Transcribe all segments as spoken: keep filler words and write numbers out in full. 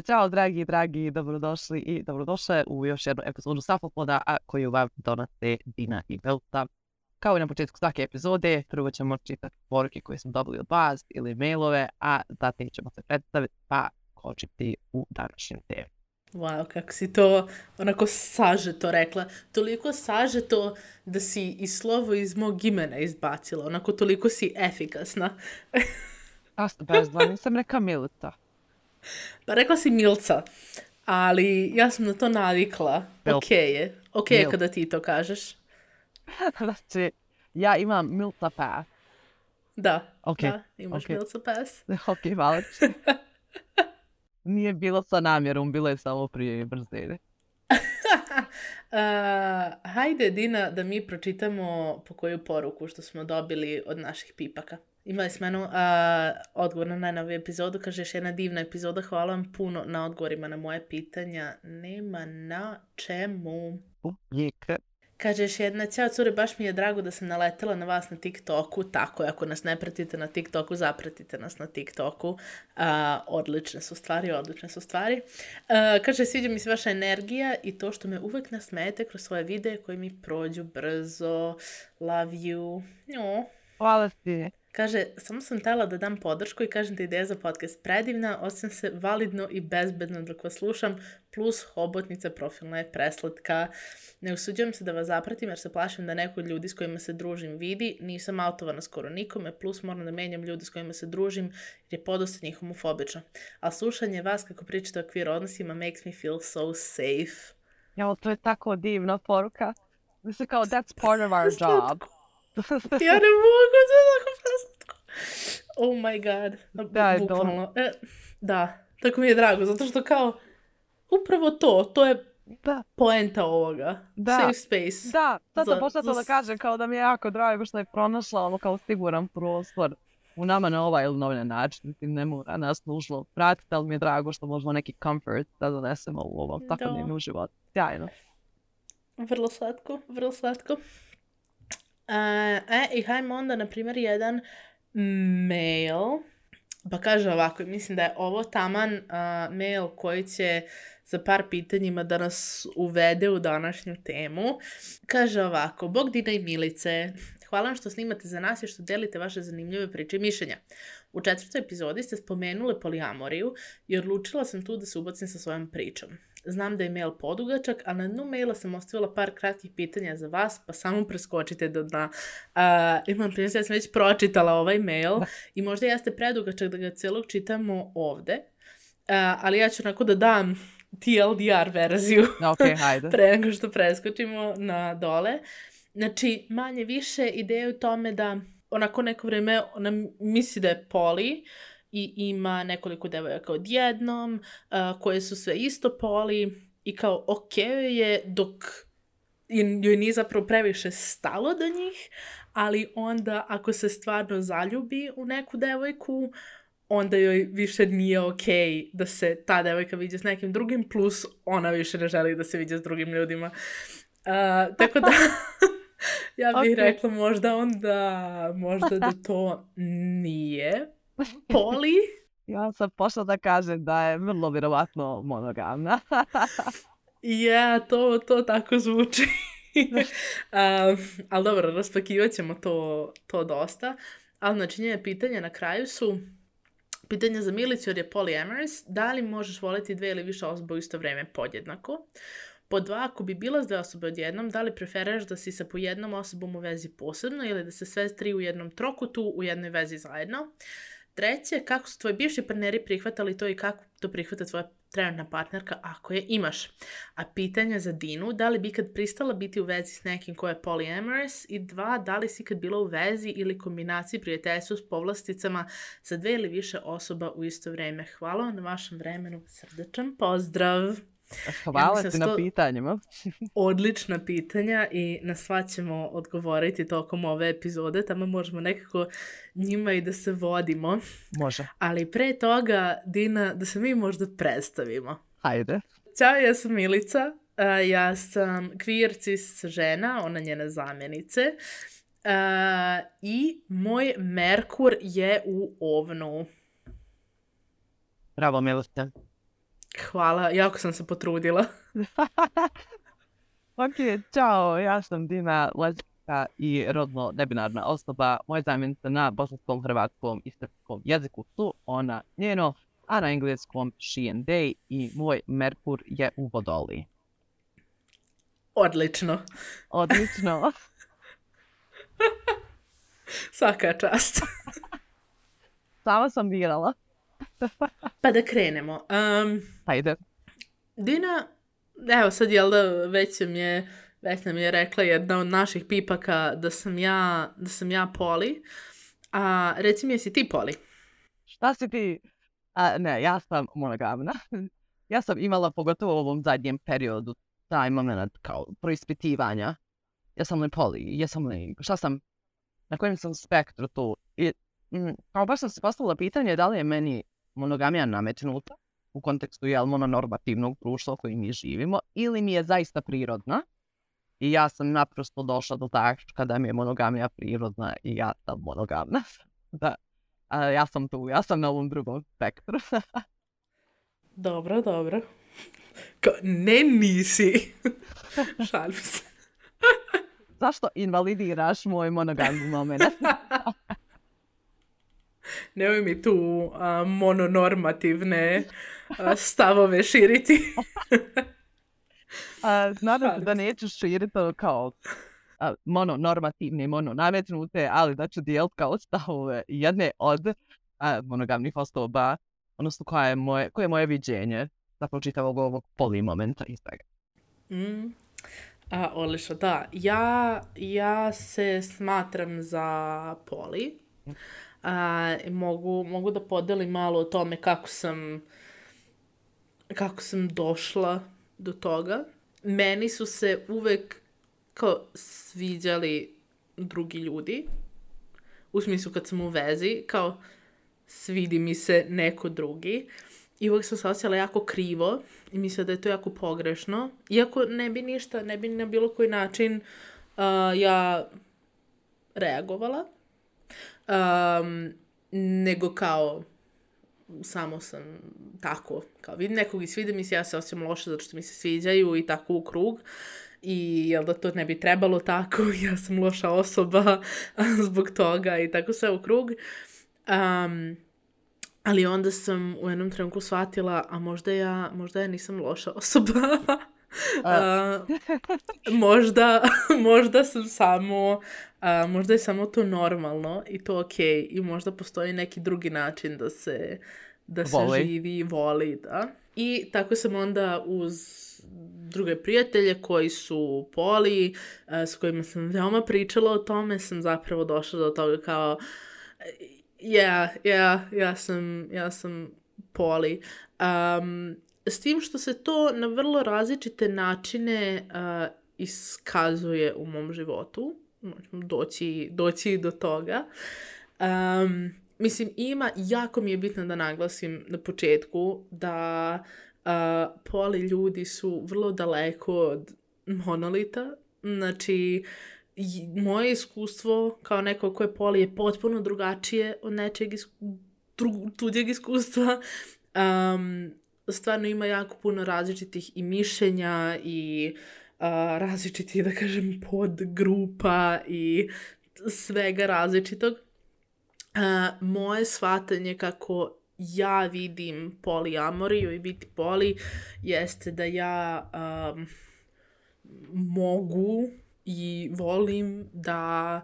Ćao dragi, dragi, dobrodošli i dobrodošle u još jednu epizodu Safopoda, a koju vam donose Dina i Milta. Kao i na početku svake epizode, prvo ćemo čitati poruke koje smo dobili od vas ili mailove, a zatim ćemo se predstaviti pa kočiti u današnjem temu. Wow, kako si to onako sažeto rekla. Toliko sažeto da si i slovo iz mog imena izbacila. Onako toliko si efikasna. A bezva, nisam reka Milta. Pa rekla si Milca, ali ja sam na to navikla. Mil. Ok je. Ok je Mil. kada ti to kažeš. Znači, ja imam Milta Pass. Da, Ok, da, imaš ok. Milca Pass. Ok, hvala ti. Nije bilo sa namjerom, bilo je samo prije brzine. Uh, hajde, Dina, da mi pročitamo po koju poruku što smo dobili od naših pipaka. Imali smo jednu uh, odgovor na najnoviju epizodu. Kaže, još jedna divna epizoda. Hvala vam puno na odgovorima na moje pitanja. Nema na čemu. Uvijek. Kaže još jedna, ćao cure, baš mi je drago da sam naletela na vas na TikToku. Tako je, ako nas ne pratite na TikToku, zapratite nas na TikToku. Uh, odlične su stvari, odlične su stvari. Uh, kaže, sviđa mi se vaša energija i to što me uvek nasmejete kroz svoje videe koji mi prođu brzo. Love you. No. Hvala ti. Kaže, samo sam htjela da dam podršku i kažem da je ideja za podcast predivna, osjećam se validno i bezbedno dok vas slušam, plus hobotnica profilna je preslatka. Ne usuđujem se da vas zapratim jer se plašim da neko od ljudi s kojima se družim vidi, nisam autovana skoro nikome, plus moram da menjam ljudi s kojima se družim jer je podosta njih homofobično. A slušanje vas kako pričate o queer odnosima makes me feel so safe. Ja, to je tako divna poruka. Mislim kao, that's part of our job. Ja ne mogu, to je tako preslatko. Oh my god. Da, je bukvalno. E, da, tako mi je drago, zato što kao, upravo to, to je Da. poenta ovoga. Da. Safe space. Da, sad sam Za- počela to za- da kažem kao da mi je jako drago što je pronašla ono kao siguran prostor u nama na ovaj ili na ovaj način. Mislim, ne mora nas nužno pratiti, ali mi je drago što možemo neki comfort da donesemo u ovom Da. svakodnevnom životu. Sjajno. Vrlo slatko, vrlo slatko. E, e, i hajmo onda, na primjer, jedan mail. Pa kaže ovako, mislim da je ovo taman a, mail koji će za par pitanjima da nas uvede u današnju temu. Kaže ovako, Bog Dina i Milice, hvala vam što snimate za nas i što delite vaše zanimljive priče i mišljenja. U četvrtoj epizodi ste spomenuli polijamoriju i odlučila sam tu da se ubacim sa svojom pričom. Znam da je mail podugačak, a na dnu maila sam ostavila par kratkih pitanja za vas, pa samo preskočite do dna. Uh, imam primjer, ja sam već pročitala ovaj mail Da. i možda jeste predugačak da ga celog čitamo ovde, uh, ali ja ću onako da dam T L D R verziju Ok, hajde. pre nego što preskočimo na dole. Znači, manje više ideja je u tome da onako neko vreme ona misli da je poli i ima nekoliko devojaka odjednom, uh, koje su sve isto poli i kao ok je dok joj nije zapravo previše stalo do njih, ali onda ako se stvarno zaljubi u neku devojku, onda joj više nije ok da se ta devojka viđe s nekim drugim, plus ona više ne želi da se viđe s drugim ljudima. Uh, tako da, ja bih Ok. rekla možda onda, možda da to nije poli. Ja sam pošla da kažem da je vrlo vjerovatno monogamna. Ja, to, to tako zvuči. um, ali dobro, raspakivat ćemo to, to dosta. Ali znači njene pitanja na kraju su pitanja za Milicu jer je polyamorous. Da li možeš voliti dve ili više osoba u isto vrijeme podjednako? Pod dva, ako bi bila s dve osobe odjednom, da li preferiraš da si sa po jednom osobom u vezi posebno ili da se sve tri u jednom trokutu u jednoj vezi zajedno? Treće, kako su tvoji bivši partneri prihvatali to i kako to prihvata tvoja trenutna partnerka ako je imaš? A pitanja za Dinu, da li bi ikad pristala biti u vezi s nekim ko je polyamorous? I dva, da li si ikad bila u vezi ili kombinaciji prijateljstva s povlasticama sa dve ili više osoba u isto vrijeme? Hvala vam na vašem vremenu, srdečan pozdrav! Hvala mislim ti da na sto- pitanjima. Odlična pitanja i na sva ćemo odgovoriti tokom ove epizode, tamo možemo nekako njima i da se vodimo. Može. Ali pre toga, Dina, da se mi možda predstavimo. Hajde. Ćao, ja sam Milica, a, ja sam queer cis žena, ona njene zamjenice. A, I moj Merkur je u Ovnu. Bravo, Milite. Hvala, jako sam se potrudila. Ok, čao, ja sam Dina, lezbijska i rodno nebinarna osoba. Moja zamjenica na bosanskom, hrvatskom i srpskom jeziku su ona, njeno, a na engleskom she and they i moj Merkur je u Vodoliji. Odlično. Odlično. Svaka čast. Sama sam birala. Pa da krenemo. Um, Hajde. Dina, evo sad jel da već nam je, već nam je rekla jedna od naših pipaka da sam ja, da sam ja poli. A reci mi, jesi ti poli? Šta si ti? A, ne, ja sam monogamna. Ja sam imala, pogotovo u ovom zadnjem periodu, taj moment kao proispitivanja. Jesam li poli? Jesam li... Šta sam? Na kojem sam spektru tu? I, m, kao baš sam se postavila pitanje da li je meni monogamija nametnuta u kontekstu jel mononormativnog društva u kojem mi živimo ili mi je zaista prirodna. I ja sam naprosto došla do tačka da mi je monogamija prirodna i ja sam monogamna. Da, a, ja sam tu, ja sam na ovom drugom spektru. Dobro, dobro. Ko, ne nisi. Šalim se. Zašto invalidiraš moj monogamni moment? Nemoj mi tu uh, mononormativne uh, stavove širiti. A, nadam se da nećeš širiti kao a, mononormativne, mononametnute, ali da ću dijeliti kao stavove jedne od a, monogamnih osoba, odnosno koje je moje, koje je moje viđenje zapravo čitavog ovog poli momenta iz svega. Mm. A, odlično, da. Ja, ja se smatram za poli. A, mogu, mogu da podelim malo o tome kako sam, kako sam došla do toga. Meni su se uvek kao sviđali drugi ljudi. U smislu kad sam u vezi, kao svidi mi se neko drugi. I uvijek sam se osjećala jako krivo i mislila da je to jako pogrešno. Iako ne bi ništa, ne bi na bilo koji način uh, ja reagovala. Um, nego kao samo sam tako, kao vidim nekog i svide mi se, ja se osjećam loše zato što mi se sviđaju i tako u krug. I jel da to ne bi trebalo tako, ja sam loša osoba zbog toga i tako sve u krug. Um, Ali onda sam u jednom trenutku shvatila, a možda ja, možda ja nisam loša osoba. uh, možda, možda sam samo, uh, možda je samo to normalno i to okej. I možda postoji neki drugi način da se, da se Voli. živi i voli, da. I tako sam onda uz druge prijatelje koji su poli, uh, s kojima sam veoma pričala o tome, sam zapravo došla do toga kao... Ja, ja, ja sam, ja sam poli. Um, s tim što se to na vrlo različite načine uh, iskazuje u mom životu. Doći, doći do toga. Um, mislim, ima, jako mi je bitno da naglasim na početku da uh, poli ljudi su vrlo daleko od monolita. Znači, moje iskustvo kao neko ko je poli je potpuno drugačije od nečeg is- dru- tuđeg iskustva. Um, stvarno ima jako puno različitih i mišljenja i uh, različitih, da kažem, podgrupa i svega različitog. Uh, moje shvatanje kako ja vidim poliamoriju i biti poli jeste da ja um, mogu i volim da,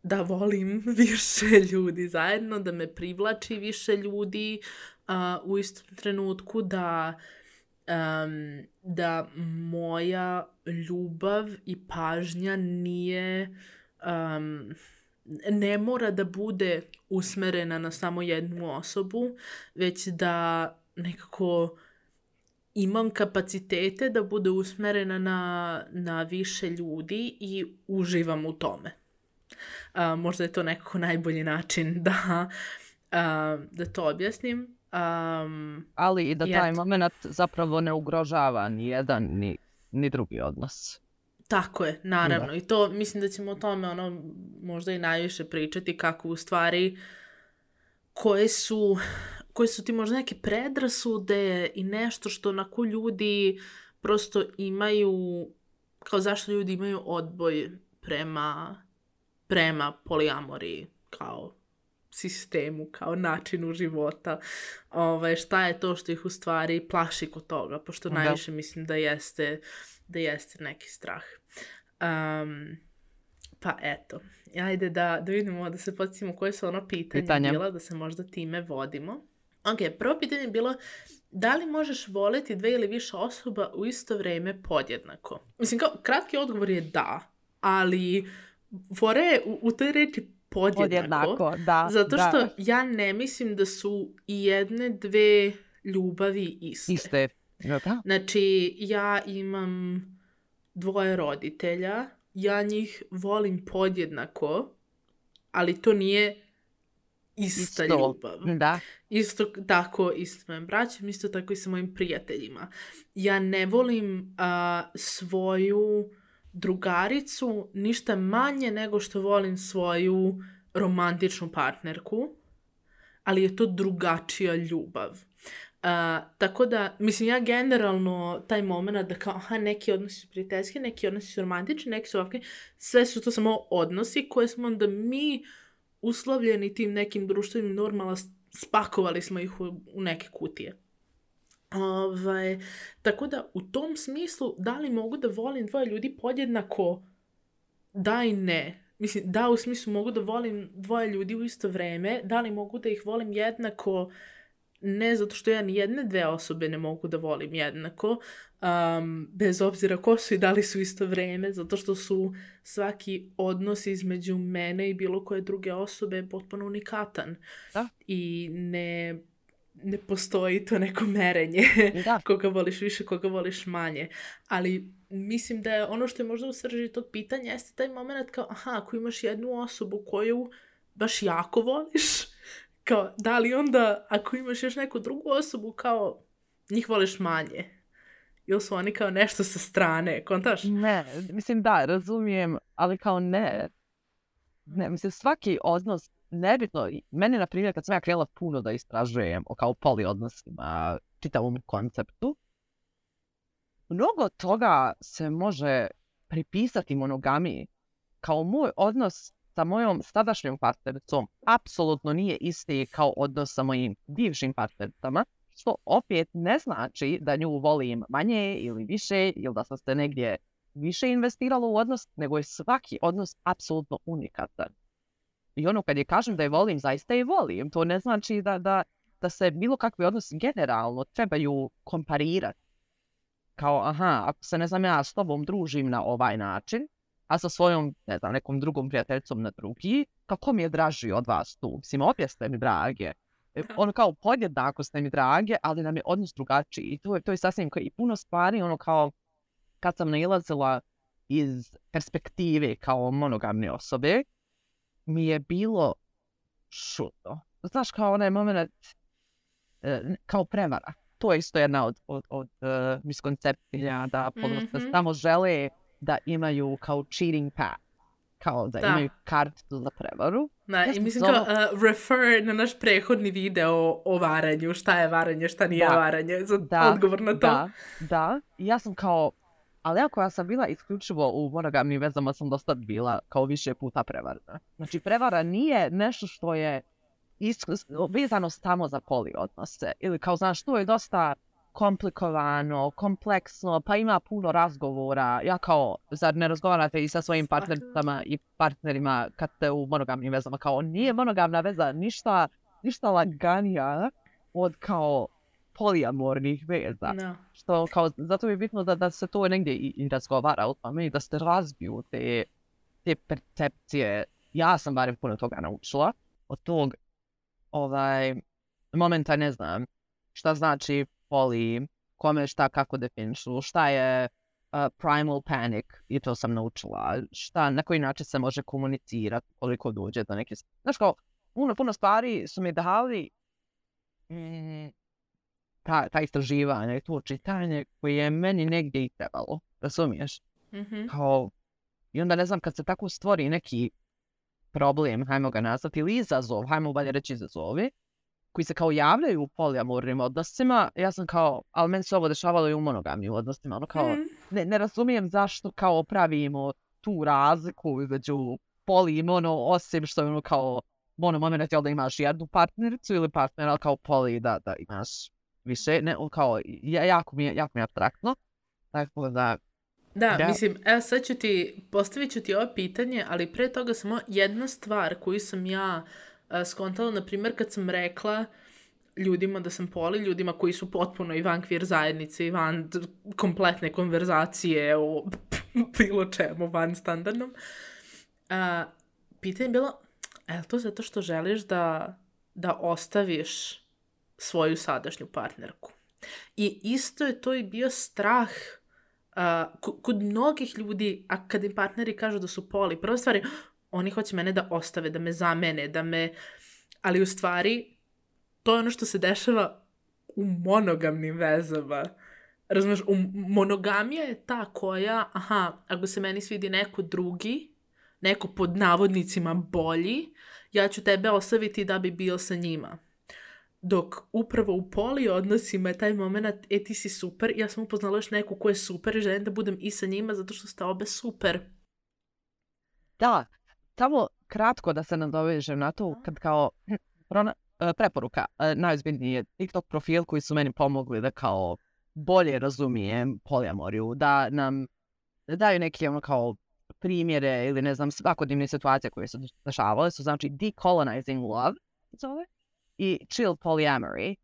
da volim više ljudi zajedno, da me privlači više ljudi uh, u istom trenutku, da, um, da moja ljubav i pažnja nije, um, ne mora da bude usmerena na samo jednu osobu, već da nekako imam kapacitete da bude usmerena na, na više ljudi i uživam u tome. Uh, možda je to nekako najbolji način da, uh, da to objasnim. Um, Ali i da taj eto. moment zapravo ne ugrožava ni jedan ni, ni drugi odnos. Tako je, naravno. Da. I to, mislim da ćemo o tome ono, možda i najviše pričati kako u stvari koje su, koje su ti možda neke predrasude i nešto što onako ljudi prosto imaju, kao zašto ljudi imaju odboj prema, prema poliamoriji, kao sistemu, kao načinu života. Ovaj, šta je to što ih u stvari plaši kod toga, pošto Da. najviše mislim da jeste, da jeste neki strah. Um, pa eto, ajde da, da vidimo, da se podsjetimo koje su ono pitanja Pitanja. bila, da se možda time vodimo. Ok, prvo pitanje je bilo da li možeš voljeti dve ili više osoba u isto vrijeme podjednako? Mislim, kao, kratki odgovor je da, ali fora je u, u toj reči podjednako, Podjednako, da. zato što da. ja ne mislim da su i jedne, dve ljubavi iste. Iste. Da. Znači, ja imam dvoje roditelja, ja njih volim podjednako, ali to nije ista Isto. ljubav. Da. Isto tako i s mojim braćom, isto tako i sa mojim prijateljima. Ja ne volim a, svoju drugaricu ništa manje nego što volim svoju romantičnu partnerku, ali je to drugačija ljubav. Uh, tako da, mislim, ja generalno taj moment da kao, aha, neki odnosi su prijateljski, neki odnosi su romantični, neki su ovakvi, sve su to samo odnosi koje smo onda mi uslovljeni tim nekim društvenim normama, spakovali smo ih u, u neke kutije. Ovaj, tako da, u tom smislu, da li mogu da volim dvoje ljudi podjednako? Da i ne. Mislim, da, u smislu mogu da volim dvoje ljudi u isto vreme, da li mogu da ih volim jednako? Ne, zato što ja ni jedne dve osobe ne mogu da volim jednako, um, bez obzira ko su i da li su isto vreme, zato što su svaki odnos između mene i bilo koje druge osobe potpuno unikatan. Da. I ne, ne postoji to neko merenje Da. koga voliš više, koga voliš manje. Ali mislim da je ono što je možda u srži tog pitanja jeste taj moment kao, aha, ako imaš jednu osobu koju baš jako voliš, kao, da li onda, ako imaš još neku drugu osobu, kao, njih voliš manje? Ili su oni kao nešto sa strane, kontaš? Ne, mislim da, razumijem, ali kao ne. Ne, mislim, svaki odnos, nebitno, meni, na primjer, kad sam ja krenula puno da istražujem o kao poli odnosima, čitavom konceptu, mnogo toga se može pripisati monogamiji. Kao moj odnos sa mojom sadašnjom partnericom apsolutno nije isti kao odnos sa mojim bivšim partnericama, što opet ne znači da nju volim manje ili više, ili da sam se negdje više investirala u odnos, nego je svaki odnos apsolutno unikatan. I ono kad je kažem da je volim, zaista je volim. To ne znači da, da, da se bilo kakvi odnosi generalno trebaju komparirati. Kao, aha, ako se, ne znam, ja s tobom družim na ovaj način, a sa svojom, ne znam, nekom drugom prijateljicom na drugi, kako mi je draži od vas tu? Mislim, opet ste mi drage. Ono kao podjednako ste mi drage, ali nam je odnos drugačiji. I to je, to je sasvim kao i puno stvari, ono kao kad sam nailazila iz perspektive kao monogamne osobe, mi je bilo šutno. Znaš, kao onaj moment, kao prevara. To je isto jedna od, od, od uh, miskoncepcija da podnosno mm-hmm. samo žele da imaju kao cheating path, kao da, da. imaju kartu za prevaru. Da, ja i mislim zove... kao uh, refer na naš prethodni video o varanju, šta je varanje, šta nije da. varanje, za da. odgovor na to. Da, da. I ja sam kao, ali ja koja sam bila isključivo u monogamnim vezama sam dosta bila kao više puta prevarna. Znači prevara nije nešto što je isk- vezano samo za poli odnose. Ili kao, znaš, to je dosta komplikovano, kompleksno, pa ima puno razgovora. Ja kao, zar ne razgovarate i sa svojim partnericama i partnerima kad ste u monogamnim vezama? Kao, nije monogamna veza ništa, ništa laganija od kao poliamornih veza. No. Što kao, zato je bitno da, da se to negdje i, i razgovara o tome i da se razbiju te, te percepcije. Ja sam barem puno toga naučila. Od tog ovaj, momenta ne znam šta znači poli, kome šta kako definišu, šta je uh, primal panic, i to sam naučila, šta, na koji način se može komunicirati koliko dođe do neke... Znaš kao, puno, puno stvari su mi dali mm, ta, ta istraživanja i to čitanje koje je meni negdje i trebalo, razumiješ? Mm-hmm. Kao, i onda ne znam, kad se tako stvori neki problem, hajmo ga nazvati, ili izazov, hajmo bolje reći izazovi, koji se kao javljaju u polijamornim odnosima, ja sam kao, ali meni se ovo dešavalo i u monogamnim odnosima, ono kao, Mm. ne, ne razumijem zašto kao pravimo tu razliku između poli i mono, osim što je ono kao, mono moment je da imaš jednu partnericu ili partnera, ali kao poli da, da imaš više, ne, kao, ja, jako mi je, jako mi je abstraktno, tako da, Da, da. mislim, evo sad ću ti, postavit ću ti ovo pitanje, ali pre toga samo jedna stvar koju sam ja uh, skontala, na primjer, kad sam rekla ljudima da sam poli, ljudima koji su potpuno i van kvir zajednice i van d- kompletne konverzacije o bilo čemu, van standardnom. Uh, pitanje je bilo, je li to zato što želiš da, da ostaviš svoju sadašnju partnerku? I isto je to i bio strah uh, k- kod mnogih ljudi, a kad im partneri kažu da su poli, prva stvar je, oni hoće mene da ostave, da me zamene, da me... Ali u stvari, to je ono što se dešava u monogamnim vezama. Razumeš, u monogamija je ta koja, aha, ako se meni svidi neko drugi, neko pod navodnicima bolji, ja ću tebe ostaviti da bi bio sa njima. Dok upravo u poli odnosima je taj moment, e ti si super, ja sam upoznala još neku ko je super i želim da budem i sa njima zato što ste obe super. Da, samo kratko da se nadovežem na to, kad kao prona, preporuka, najozbiljniji je TikTok profil koji su meni pomogli da kao bolje razumijem polijamoriju, da nam daju neke ono kao primjere ili ne znam svakodnevne situacije koje su dešavale, su znači Decolonizing Love zove, i Chill Polyamory.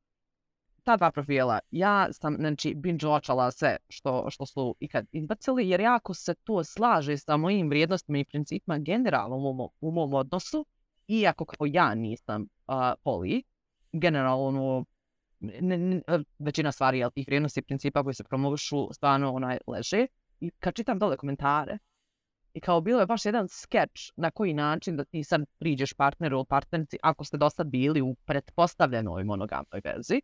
Ta dva profila, ja sam znači binge-watchala sve što, što su ikad izbacili, jer jako se to slaže sa mojim vrijednostima i principima generalno u mom, u mom odnosu, iako kao ja nisam uh, poli, generalno ne, ne, većina stvari, jel, tih vrijednosti i principa koji se promovišu stvarno onaj leže. I kad čitam dole komentare, i kao bilo je baš jedan skeč na koji način da ti sad priđeš partneru ili partnerici ako ste dosta bili u pretpostavljenoj monogamnoj vezi,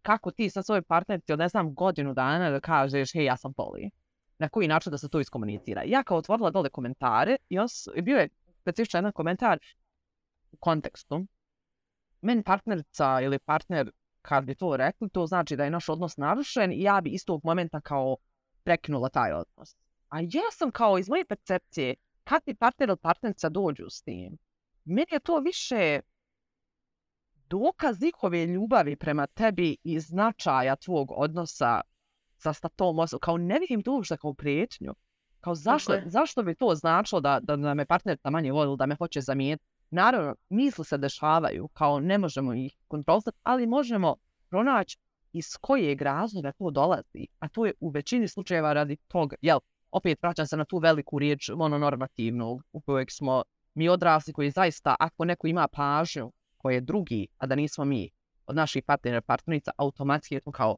kako ti sa svojoj partnerici od ne znam godinu dana da kažeš hej ja sam poli. Na koji način da se to iskomunicira. Ja kao otvorila dole komentare i on bio je specifičan jedan komentar u kontekstu. Meni partnerica ili partner kad bi to rekli, to znači da je naš odnos narušen i ja bi istog momenta kao prekinula taj odnos. A ja sam kao iz moje percepcije, kad ti partner ili partnerica dođu s tim, meni je to više dokaz njihove ljubavi prema tebi i značaja tvog odnosa sa, sa tom osobom. Kao ne vidim to uopšte kao prijetnju. Kao zašto, zašto bi to značilo da, da, da me partnerica manje voli, da me hoće zamijeniti? Naravno, misli se dešavaju, kao ne možemo ih kontrolisati, ali možemo pronaći iz kojeg razloga to dolazi. A to je u većini slučajeva radi toga, jel, opet vraćam se na tu veliku riječ mononormativnu u kojeg smo mi odrasli, koji zaista, ako neko ima pažnju koje je drugi, a da nismo mi, od naših partnera, partnerica, automatski je to kao,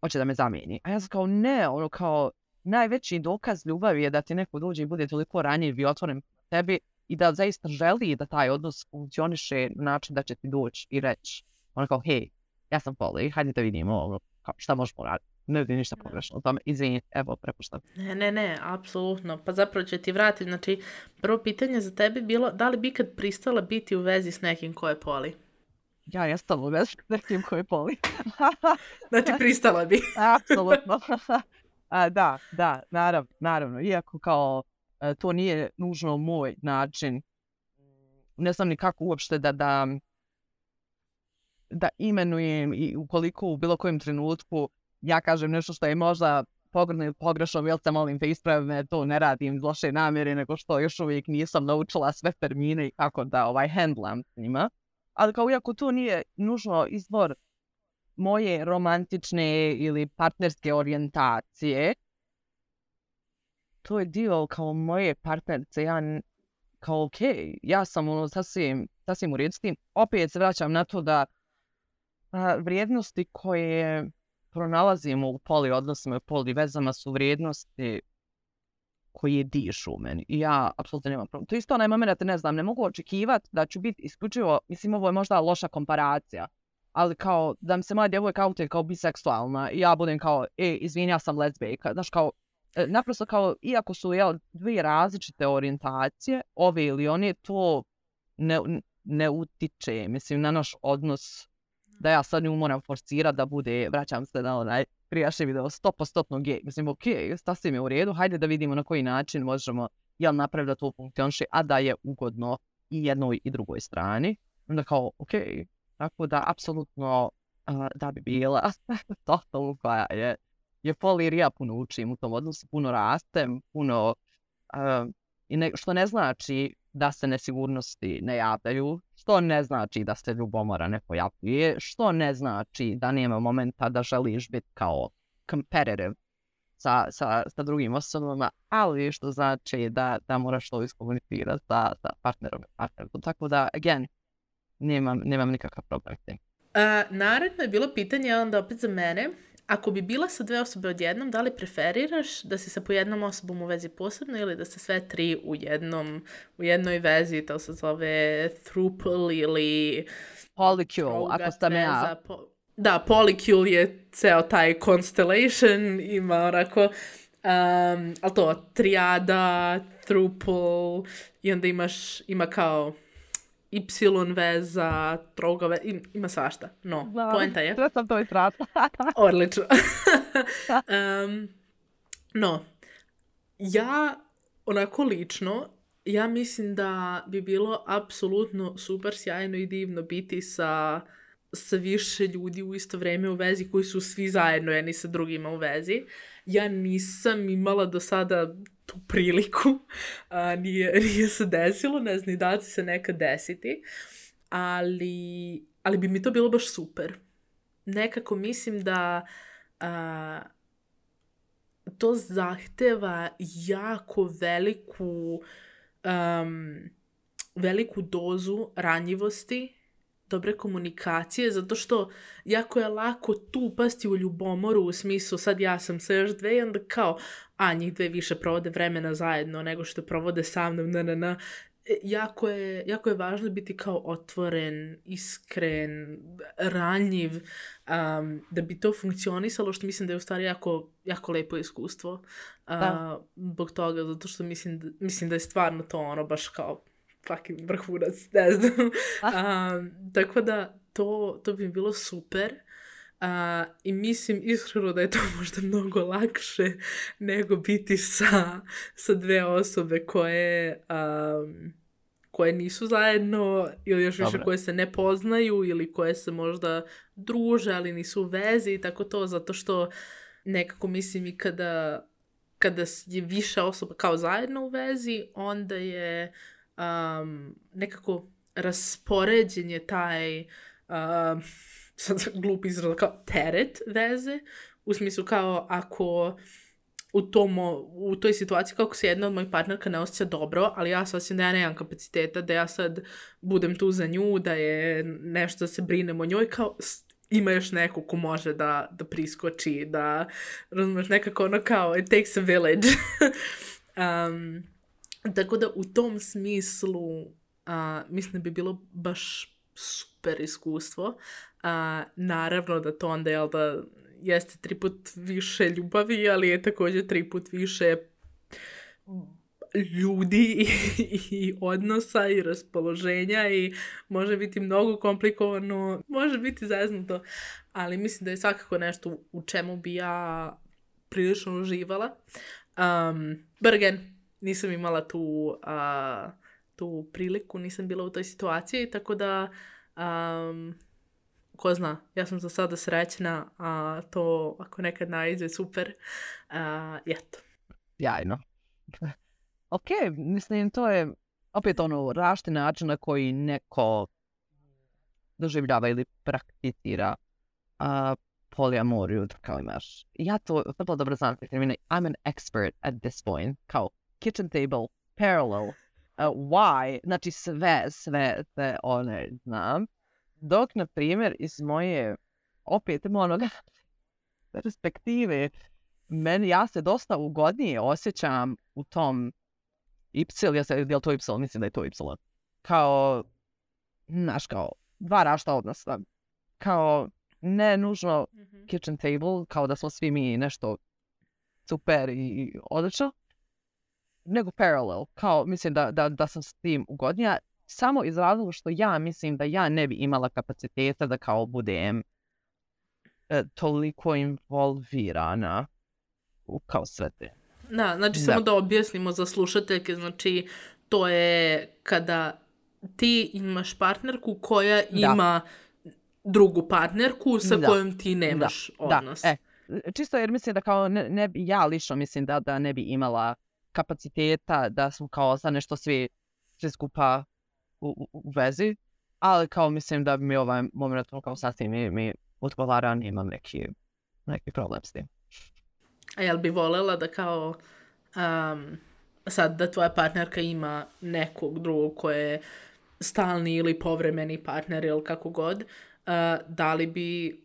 hoće da me zamijeni. A ja sam kao, ne, ono kao, najveći dokaz ljubavi je da ti neko dođe i bude toliko ranjiv i otvoren tebi i da zaista želi da taj odnos funkcioniše na način da će ti doći i reći, ono kao, hej, ja sam poli, hajde da vidimo, ono, kao, šta možemo raditi. Ne vidim ništa pogrešno. Tome, izvini, evo, prepuštam. Ne, ne, ne, apsolutno. Pa zapravo će ti vratiti. Znači, prvo pitanje za tebe bilo, da li bi kad pristala biti u vezi s nekim ko je poli? Ja jesam u vezi s nekim ko je poli. Znači, pristala bi. Apsolutno. A, da, da, naravno, naravno. Iako kao to nije nužno moj način, ne znam ni kako uopšte da, da, da imenujem i ukoliko u bilo kojem trenutku ja kažem nešto što je možda pogrdno ili pogrešno, jel te molim te ispravi me, to ne radim iz loše namjere, nego što još uvijek nisam naučila sve termine i kako da ovaj handlam s njima. Ali kao iako to nije nužno izvor moje romantične ili partnerske orijentacije, to je dio kao moje partnerice, ja kao okej, okay, ja sam ono sasvim, sasvim u redu s tim. Opet se vraćam na to da a, vrijednosti koje pronalazimo u poli odnosima i poli vezama su vrijednosti koje dišu u meni. I ja apsolutno nemam problem. To je isto onaj moment, ne znam, ne mogu očekivati da ću biti isključivo, mislim ovo je možda loša komparacija, ali kao da mi se moja djevojka autuje kao biseksualna i ja budem kao, e, izvini, ja sam lezbijka. Znaš, kao, naprosto kao, iako su jel, dvije različite orijentacije, ove ili one, to ne, ne utiče, mislim, na naš odnos da ja sad nju moram forsirati da bude, vraćam se na onaj prijašnji video, sto posto gej. Mislim, ok, sasvim je u redu, hajde da vidimo na koji način možemo jel napraviti da to funkcioniše, a da je ugodno i jednoj i drugoj strani. Onda kao, ok, tako da apsolutno uh, da bi bila totalno koja je, je polir, ja puno učim u tom odnosu, puno rastem, puno, uh, i ne, što ne znači da se nesigurnosti ne javljaju, što ne znači da se ljubomora ne pojavljuje, što ne znači da nema momenta da želiš biti kao competitive sa, sa, sa drugim osobama, ali što znači da, da moraš to iskomunicirati sa, sa partnerom. partnerom. Tako da, again, nemam, nemam nikakav problem s tim. Uh, naredno je bilo pitanje onda opet za mene. Ako bi bila sa dve osobe odjednom, da li preferiraš da si sa po jednom osobom u vezi posebno ili da ste sve tri u jednom, u jednoj vezi, to se zove throuple ili polycule, ako sam ja. Po... Da, polycule je ceo taj constellation, ima onako, um, ali to, trijada, throuple, i onda imaš, ima kao Y veza, troga veza, ima svašta. No, da, poenta je. Sve sam to istratila. Odlično. um, no, ja onako lično, ja mislim da bi bilo apsolutno super sjajno i divno biti sa, sa više ljudi u isto vrijeme u vezi koji su svi zajedno jedni sa drugima u vezi. Ja nisam imala do sada tu priliku, a, nije, nije se desilo, ne znam, da će se nekad desiti, ali, ali bi mi to bilo baš super. Nekako mislim da a, to zahteva jako veliku, um, veliku dozu ranjivosti, dobre komunikacije, zato što jako je lako tu upasti u ljubomoru u smislu sad ja sam sa još dve i onda kao, a njih dve više provode vremena zajedno nego što provode sa mnom, na, na, na. Jako je, jako je važno biti kao otvoren, iskren, ranjiv, um, da bi to funkcionisalo, što mislim da je u stvari jako, jako lepo iskustvo. Uh, zbog toga, zato što mislim da, mislim da je stvarno to ono baš kao fucking vrhunac, ne znam. Um, tako da to, to bi bilo super. Uh, I mislim iskreno da je to možda mnogo lakše nego biti sa, sa dve osobe koje, um, koje nisu zajedno ili još više Dobre. Koje se ne poznaju ili koje se možda druže, ali nisu u vezi i tako to, zato što nekako mislim i kada, kada je više osoba kao zajedno u vezi, onda je Um, nekako raspoređen je taj um, sad glup izraz kao teret veze, u smislu kao ako u, tom, u toj situaciji kako se jedna od mojih partnerka ne osjeća dobro, ali ja se osjećam da ja nemam kapaciteta, da ja sad budem tu za nju, da je nešto da se brinem o njoj, kao ima još neko ko može da, da priskoči, da razumeš nekako ono kao it takes a village. um, Tako da u tom smislu a, mislim da bi bilo baš super iskustvo. A, naravno da to onda jel da jeste tri put više ljubavi, ali je također tri put više ljudi i, i odnosa i raspoloženja i može biti mnogo komplikovano, može biti zeznuto, ali mislim da je svakako nešto u čemu bi ja prilično uživala. Um, but again, nisam imala tu, uh, tu priliku, nisam bila u toj situaciji, tako da, um, ko zna, ja sam za sada srećna, a to ako nekad naiđe super, uh, eto. Jajno. Ok, mislim, to je opet ono različiti način na koji neko doživljava ili prakticira uh, polijamoriju, kao imaš. Ja to vrlo dobro znam, I'm an expert at this point, kao kitchen table, parallel, uh, why, znači sve, sve, sve one znam. Dok, na primjer, iz moje, opet onoga, perspektive, meni, ja se dosta ugodnije osjećam u tom Y, ja se, je li to Y, mislim da je to Y, kao, znaš, kao, dva rašta odnosa, kao, ne nužno mm-hmm. kitchen table, kao da smo svi mi nešto super i odlično, nego parallel, kao mislim da, da, da sam s tim ugodnija. samo iz razloga što ja mislim da ja ne bi imala kapaciteta da kao budem e, toliko involvirana u kao sve te. Da, znači Da. samo da objasnimo za slušateljke, znači to je kada ti imaš partnerku koja ima drugu partnerku sa Da. kojom ti nemaš Da. odnos. Da. E, čisto jer mislim da kao ne, ne bi, ja lično mislim da, da ne bi imala kapaciteta da smo kao sad nešto svi, svi skupa u, u, u vezi, ali kao mislim da bi mi ovaj moment kao sasvim mi, mi odgovara, nemam neki, neki problem s tim. A jel bi voljela da kao um, sad da tvoja partnerka ima nekog drugog koje je stalni ili povremeni partner ili kako god, uh, da li bi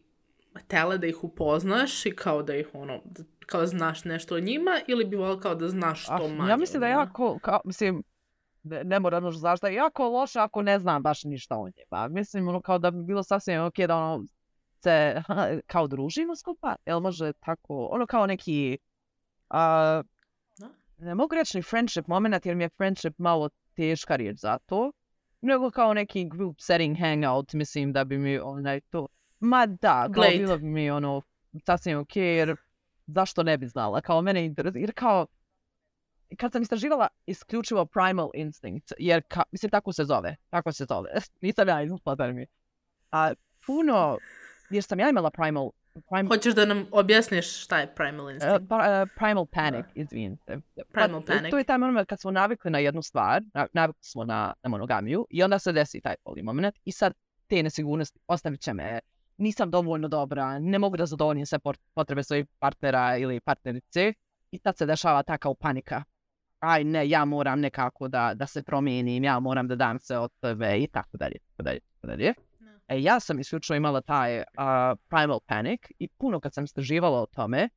htjela da ih upoznaš i kao da ih ono, kao znaš nešto o njima ili bi voljela kao da znaš što Ah, manje ja mislim o da je njima? jako, kao, mislim, ne, ne moram nužno znaš da je jako loše ako ne znam baš ništa o njima. Mislim, ono, kao da bi bilo sasvim ok da ono, se kao družimo skupa, jel može tako, ono kao neki, a, Da. ne mogu reći ni friendship moment, jer mi je friendship malo teška riječ za to, nego kao neki group setting hangout, mislim da bi mi onaj to, ma da, kao Blade. bilo bi mi ono, sasvim ok, jer zašto ne bi znala, kao mene interesuje, jer kao, kad sam istraživala isključivo Primal Instinct, jer, ka, mislim, tako se zove, tako se zove, nisam ja izmislila mi. A puno, jer sam ja imala Primal, primal Hoćeš da nam objasniš šta je Primal uh, Instinct? pa, uh, Primal Panic, izvinite. Primal Pa, Panic. To je taj moment kad smo navikli na jednu stvar, na, navikli smo na, na monogamiju i onda se desi taj poli moment i sad te nesigurnosti ostavit će me, nisam dovoljno dobra, ne mogu da zadovoljim sve potrebe svojih partnera ili partnerice i tad se dešava ta kao panika. Aj ne, ja moram nekako da, da se promijenim, ja moram da dam se od tebe i tako dalje, tako dalje, tako dalje. E, ja sam isključivo imala taj uh, Primal Panic i puno kad sam istraživala o tome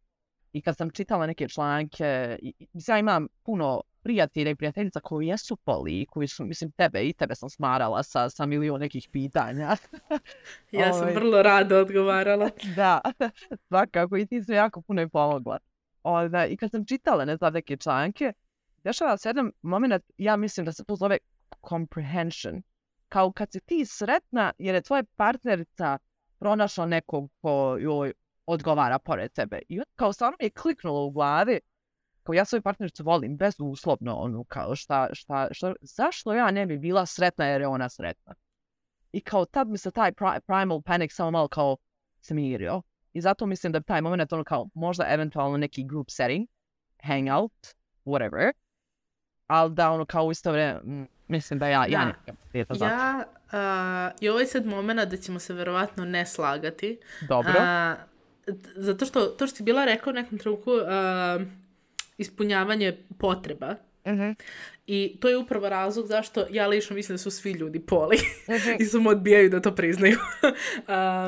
i kad sam čitala neke članke, i, i, ja imam puno prijatelja i prijateljica koji jesu poli, koji su, mislim, tebe i tebe sam smarala sa, sa milion nekih pitanja. Ja sam Ovaj, vrlo rado odgovarala. Da, svakako i ti su jako puno i pomogla. Onda, i kad sam čitala, ne znam, neke članke, dešava se jedan moment, ja mislim da se to zove comprehension. Kao kad si ti sretna jer je tvoja partnerica pronašla nekog ko joj odgovara pored tebe. I onda kao stvarno mi je kliknulo u glavi, kao ja svoju partnericu volim bezuslovno, ono kao šta, šta, šta, zašto ja ne bi bila sretna jer je ona sretna. I kao tad mi se taj pri, primal panic samo malo kao smirio. I zato mislim da taj moment ono kao možda eventualno neki group setting, hangout, whatever, ali da ono kao u isto vrijeme, mislim da ja, Da. ja nekam prijeta zato. Ja, uh, i ovaj sad moment da ćemo se verovatno ne slagati. Dobro. A, t- zato što, to što si bila rekao u nekom trenutku, uh, ispunjavanje potreba. Mhm. I to je upravo razlog zašto ja lično mislim da su svi ljudi poli. Mhm. I samo odbijaju da to priznaju.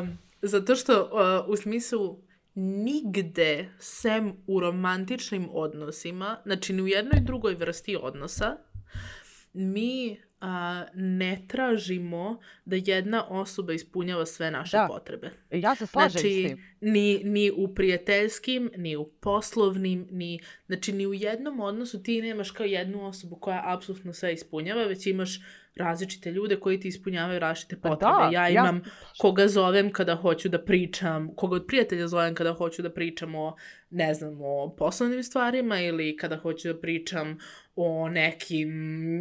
um, zato što uh, u smislu nigde sem u romantičnim odnosima, znači ni u jednoj drugoj vrsti odnosa, mi a, ne tražimo da jedna osoba ispunjava sve naše Da. potrebe. Ja se slažem s Znači, tim. ni, ni u prijateljskim, ni u poslovnim, ni, znači ni u jednom odnosu ti nemaš kao jednu osobu koja apsolutno sve ispunjava, već imaš različite ljude koji ti ispunjavaju različite Pa potrebe. da, ja ja- imam koga zovem kada hoću da pričam, koga od prijatelja zovem kada hoću da pričam o, ne znam, o poslovnim stvarima ili kada hoću da pričam o nekim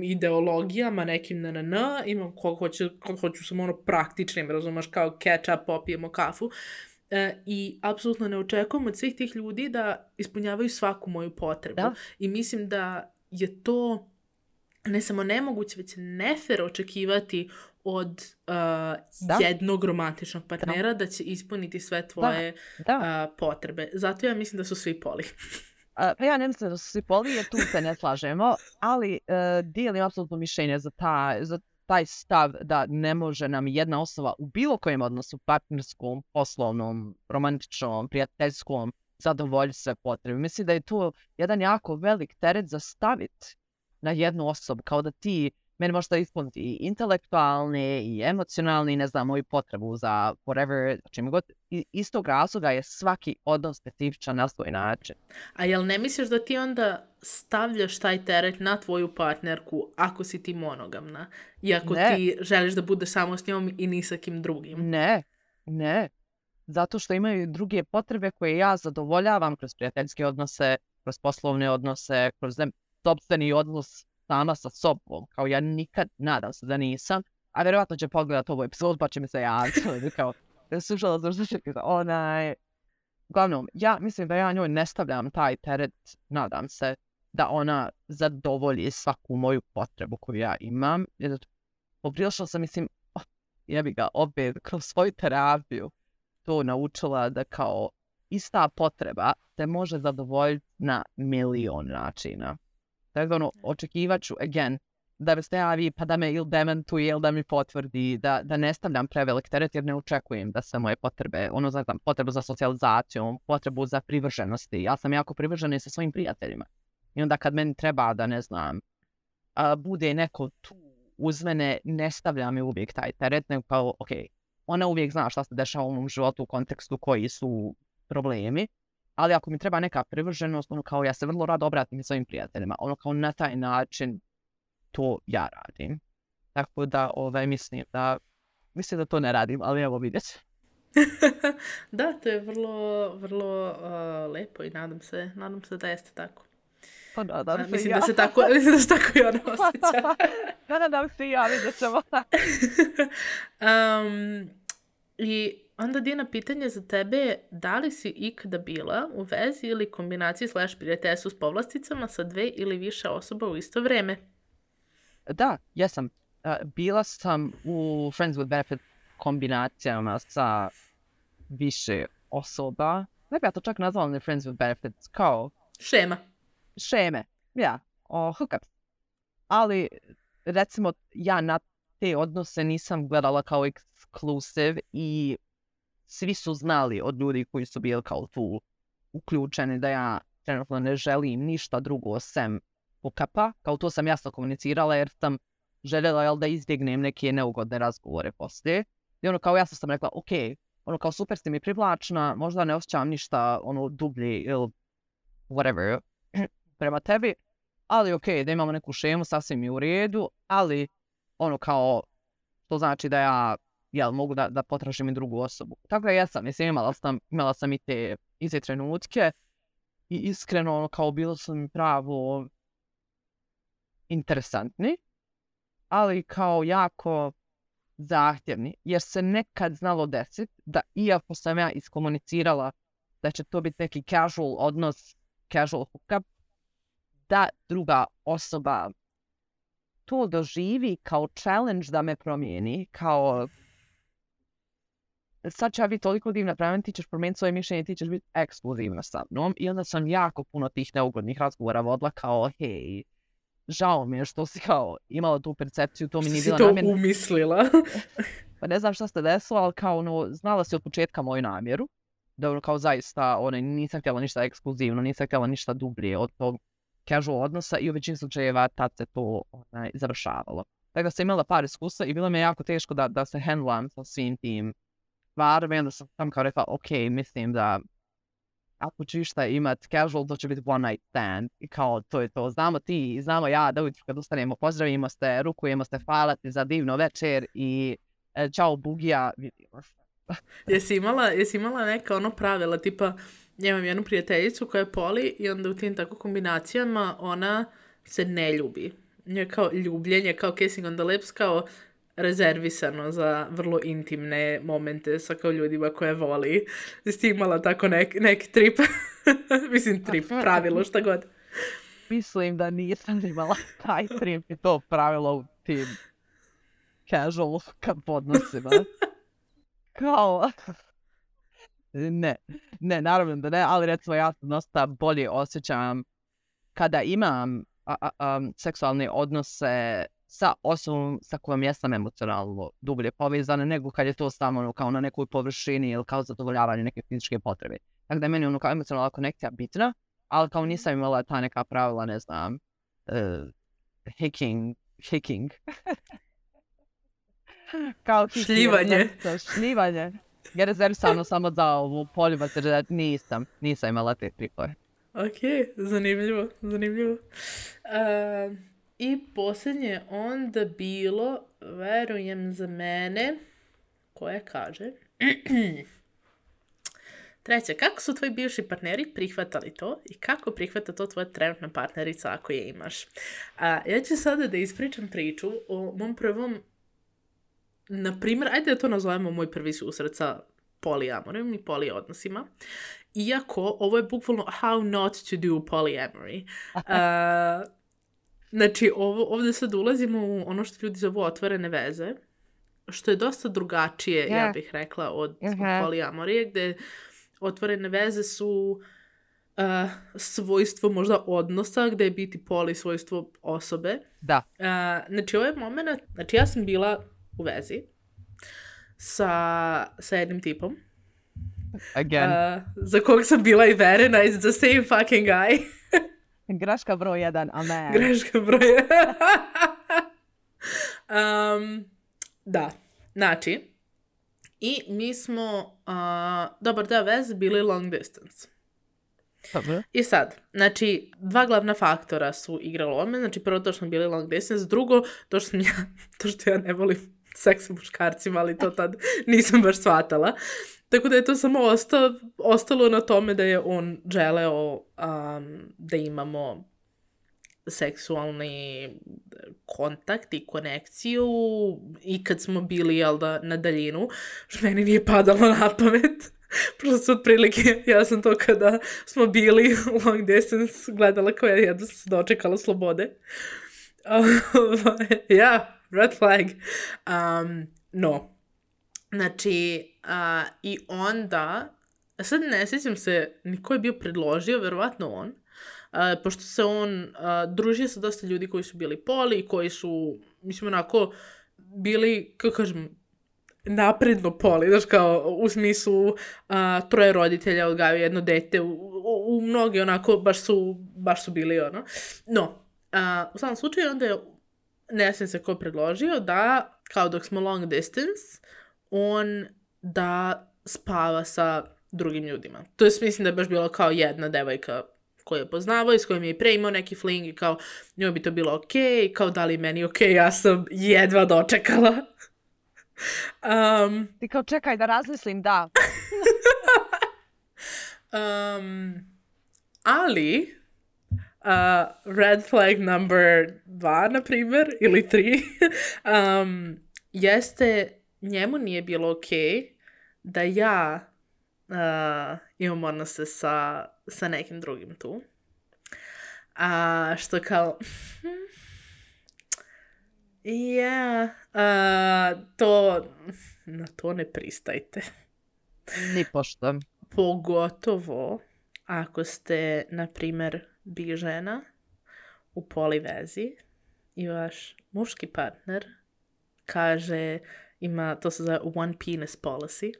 ideologijama, nekim na na na, imam koga hoću, koga hoću samo ono praktičnim, razumeš, kao catch up, popijemo kafu. E, I apsolutno ne očekujem od svih tih ljudi da ispunjavaju svaku moju potrebu. Da. I mislim da je to ne samo nemoguće, već nefer očekivati od uh, Da. jednog romantičnog partnera da. da će ispuniti sve tvoje Da. uh, potrebe. Zato ja mislim da su svi poli. A, pa ja ne mislim da su svi poli, jer tu se ne slažemo, ali uh, dijelim apsolutno mišljenje za, ta, za taj stav da ne može nam jedna osoba u bilo kojem odnosu, partnerskom, poslovnom, romantičnom, prijateljskom, zadovoljiti sve potrebe. Mislim da je to jedan jako velik teret za staviti na jednu osobu, kao da ti meni možda ispuniti i intelektualne i emocionalne i ne znam, moju potrebu za whatever, čim god. I, iz tog razloga je svaki odnos specifičan na svoj način. A jel ne misliš da ti onda stavljaš taj teret na tvoju partnerku ako si ti monogamna? I ako Ne. ti želiš da budeš samo s njom i ni sa kim drugim? Ne, ne. Zato što imaju druge potrebe koje ja zadovoljavam kroz prijateljske odnose, kroz poslovne odnose, kroz ne- sopstveni odnos sama sa sobom. Kao ja nikad, nadam se da nisam, a vjerovatno će pogledat ovu epizodu pa će mi se javiti. Kao, slušala sam što će kada onaj... Uglavnom, ja mislim da ja njoj ne stavljam taj teret, nadam se, da ona zadovolji svaku moju potrebu koju ja imam. Jer poprilično sam, mislim, oh, jebi ga, opet kroz svoju terapiju to naučila da kao ista potreba te može zadovoljiti na milion načina. Tako da ono, očekivat ću, again, da me se javi pa da me ili dementuje ili da mi potvrdi, da, da ne stavljam prevelik teret jer ne očekujem da se moje potrebe, ono znam, potrebu za socijalizacijom, potrebu za privrženosti. Ja sam jako privržena i sa svojim prijateljima. I onda kad meni treba da, ne znam, a, bude neko tu uz mene, ne stavlja mi uvijek taj teret, nego kao, ok, ona uvijek zna šta se dešava u mom životu u kontekstu koji su problemi, ali ako mi treba neka privrženost, ono kao ja se vrlo rado obratim i svojim prijateljima, ono kao na taj način to ja radim. Tako da, ovaj, mislim da, mislim da to ne radim, ali evo vidjet ću. Da, to je vrlo, vrlo uh, lepo i nadam se, nadam se da jeste tako. Pa da, da, A, mislim, ja. da se tako, mislim da se tako i ona osjeća. da, da, da, se ja vidjet ćemo. um, I onda, Dina, pitanje za tebe je da li si ikada bila u vezi ili kombinaciji slash prijateljstvu s povlasticama sa dve ili više osoba u isto vrijeme? Da, jesam. Uh, bila sam u Friends with Benefit kombinacijama sa više osoba. Ne bi ja to čak nazvala ne Friends with Benefits, kao Šema. šeme, ja, o, hookup. Ali, recimo, ja na te odnose nisam gledala kao exclusive i svi su znali od ljudi koji su bili kao tu uključeni da ja trenutno ne želim ništa drugo sem hookupa. Kao to sam jasno komunicirala jer sam željela jel, da izbjegnem neke neugodne razgovore poslije. I ono kao jasno sam rekla, ok, ono kao super ste mi privlačna, možda ne osjećam ništa ono dublje ili whatever prema tebi, ali ok, da imamo neku šemu, sasvim je u redu, ali ono kao, to znači da ja jel, mogu da, da potražim i drugu osobu. Tako da jesam, mislim, imala sam, imala sam i te, i te trenutke i iskreno ono kao bilo su mi pravo interesantni, ali kao jako zahtjevni, jer se nekad znalo desiti da iako sam ja iskomunicirala da će to biti neki casual odnos, casual hookup, da druga osoba to doživi kao challenge da me promijeni, kao sad će ja biti toliko divna prema meni, ti ćeš promijeniti svoje mišljenje, ti ćeš biti ekskluzivna sa mnom. I onda sam jako puno tih neugodnih razgovora vodila kao, hej, žao mi je što si kao imala tu percepciju, to mi nije bila namjena. Što si to umislila? Pa ne znam šta se desilo, ali kao ono, znala si od početka moju namjeru. Da ono kao zaista, ono, nisam htjela ništa ekskluzivno, nisam htjela ništa dublje od tog casual odnosa i u većini slučajeva tad se to onaj, završavalo. Tako da sam imala par iskustva i bilo mi je jako teško da, da se handlam sa svim tim stvarima i onda sam tam kao rekla, ok, mislim da ako ću išta imat casual, to će biti one night stand i kao to je to. Znamo ti, znamo ja da ujutro kad ustanemo, pozdravimo ste, rukujemo ste, hvala ti za divno večer i e, čao bugija, vidimo se. Jesi imala, jesi imala neka ono pravila, tipa, ja imam jednu prijateljicu koja je poli i onda u tim tako kombinacijama ona se ne ljubi. Nje kao ljubljenje, kao kissing on the lips, kao rezervisano za vrlo intimne momente sa kao ljudima koje voli. Jesi ti imala tako nek, neki trip? Mislim trip, pravilo, šta god. Mislim da nisam imala taj trip i to pravilo u tim casual hookup odnosima. Kao... Ne, ne, naravno da ne, ali recimo ja se dosta bolje osjećam kada imam a, a, a, seksualne odnose sa osobom sa kojom jesam emocionalno dublje povezana, nego kad je to samo ono, kao na nekoj površini ili kao zadovoljavanje neke fizičke potrebe. Tako da je meni ono kao emocionalna konekcija bitna, ali kao nisam imala ta neka pravila, ne znam, uh, hacking Hiking. Kao hiking. Šljivanje. Šljivanje. Je rezervisano samo za ovu poljubac, jer nisam, nisam imala te tripove. Ok, zanimljivo, zanimljivo. Uh, I posljednje onda bilo, verujem za mene, koje kaže... Treće, kako su tvoji bivši partneri prihvatali to i kako prihvata to tvoja trenutna partnerica ako je imaš? A, ja ću sada da ispričam priču o mom prvom, na primjer, ajde da to nazovemo moj prvi susret sa poliamorijom i poliodnosima. Iako, ovo je bukvalno how not to do polyamory. A, znači, ovo, ovdje sad ulazimo u ono što ljudi zovu otvorene veze, što je dosta drugačije, yeah. ja bih rekla, od uh-huh. poliamorije, gde otvorene veze su uh, svojstvo možda odnosa, gde je biti poli svojstvo osobe. Da. Uh, znači, ovaj moment, znači ja sam bila u vezi sa, sa jednim tipom. Again. Uh, za kog sam bila i verena, it's the same fucking guy. Greška broj jedan, amen. Greška broj jedan. um, da, znači, i mi smo, uh, dobar deo veze bili long distance. Dobro. I sad, znači, dva glavna faktora su igrali ome, znači prvo to što smo bili long distance, drugo to što, sam ja, to što ja ne volim seks sa muškarcima, ali to tad nisam baš shvatala. Tako da je to samo osta, ostalo na tome da je on želeo um, da imamo seksualni kontakt i konekciju i kad smo bili, jel da, na daljinu, što meni nije padalo na pamet. Prosto otprilike, ja sam to kada smo bili long distance gledala koja je jedno se dočekala slobode. Ja, red flag. Um, no. Znači, uh, i onda, sad ne sjećam se ni ko je bio predložio, verovatno on, uh, pošto se on uh, družio sa dosta ljudi koji su bili poli, koji su, mislim, onako, bili, kako kažem, napredno poli, znaš, kao, u smislu uh, troje roditelja odgajaju jedno dete, u, u, u mnogi onako, baš su, baš su bili, ono. No, uh, u samom slučaju, onda je, ne sjećam se ko predložio, da, kao dok smo long distance, on da spava sa drugim ljudima. To je, mislim da je baš bilo kao jedna devojka koju je poznavao i s kojom je i pre imao neki fling i kao njoj bi to bilo okej, okay, kao da li meni okej, okay, ja sam jedva dočekala. Um, Ti kao čekaj da razmislim, da. um, ali uh, red flag number dva, na primjer, ili tri, um, jeste njemu nije bilo okej okay da ja uh, imam odnose sa, sa nekim drugim tu. A što kao... Ja, yeah, uh, to... Na to ne pristajte. Ni pošto. Pogotovo ako ste, na primjer, bi žena u polivezi i vaš muški partner kaže... Ima, to se zove one penis policy.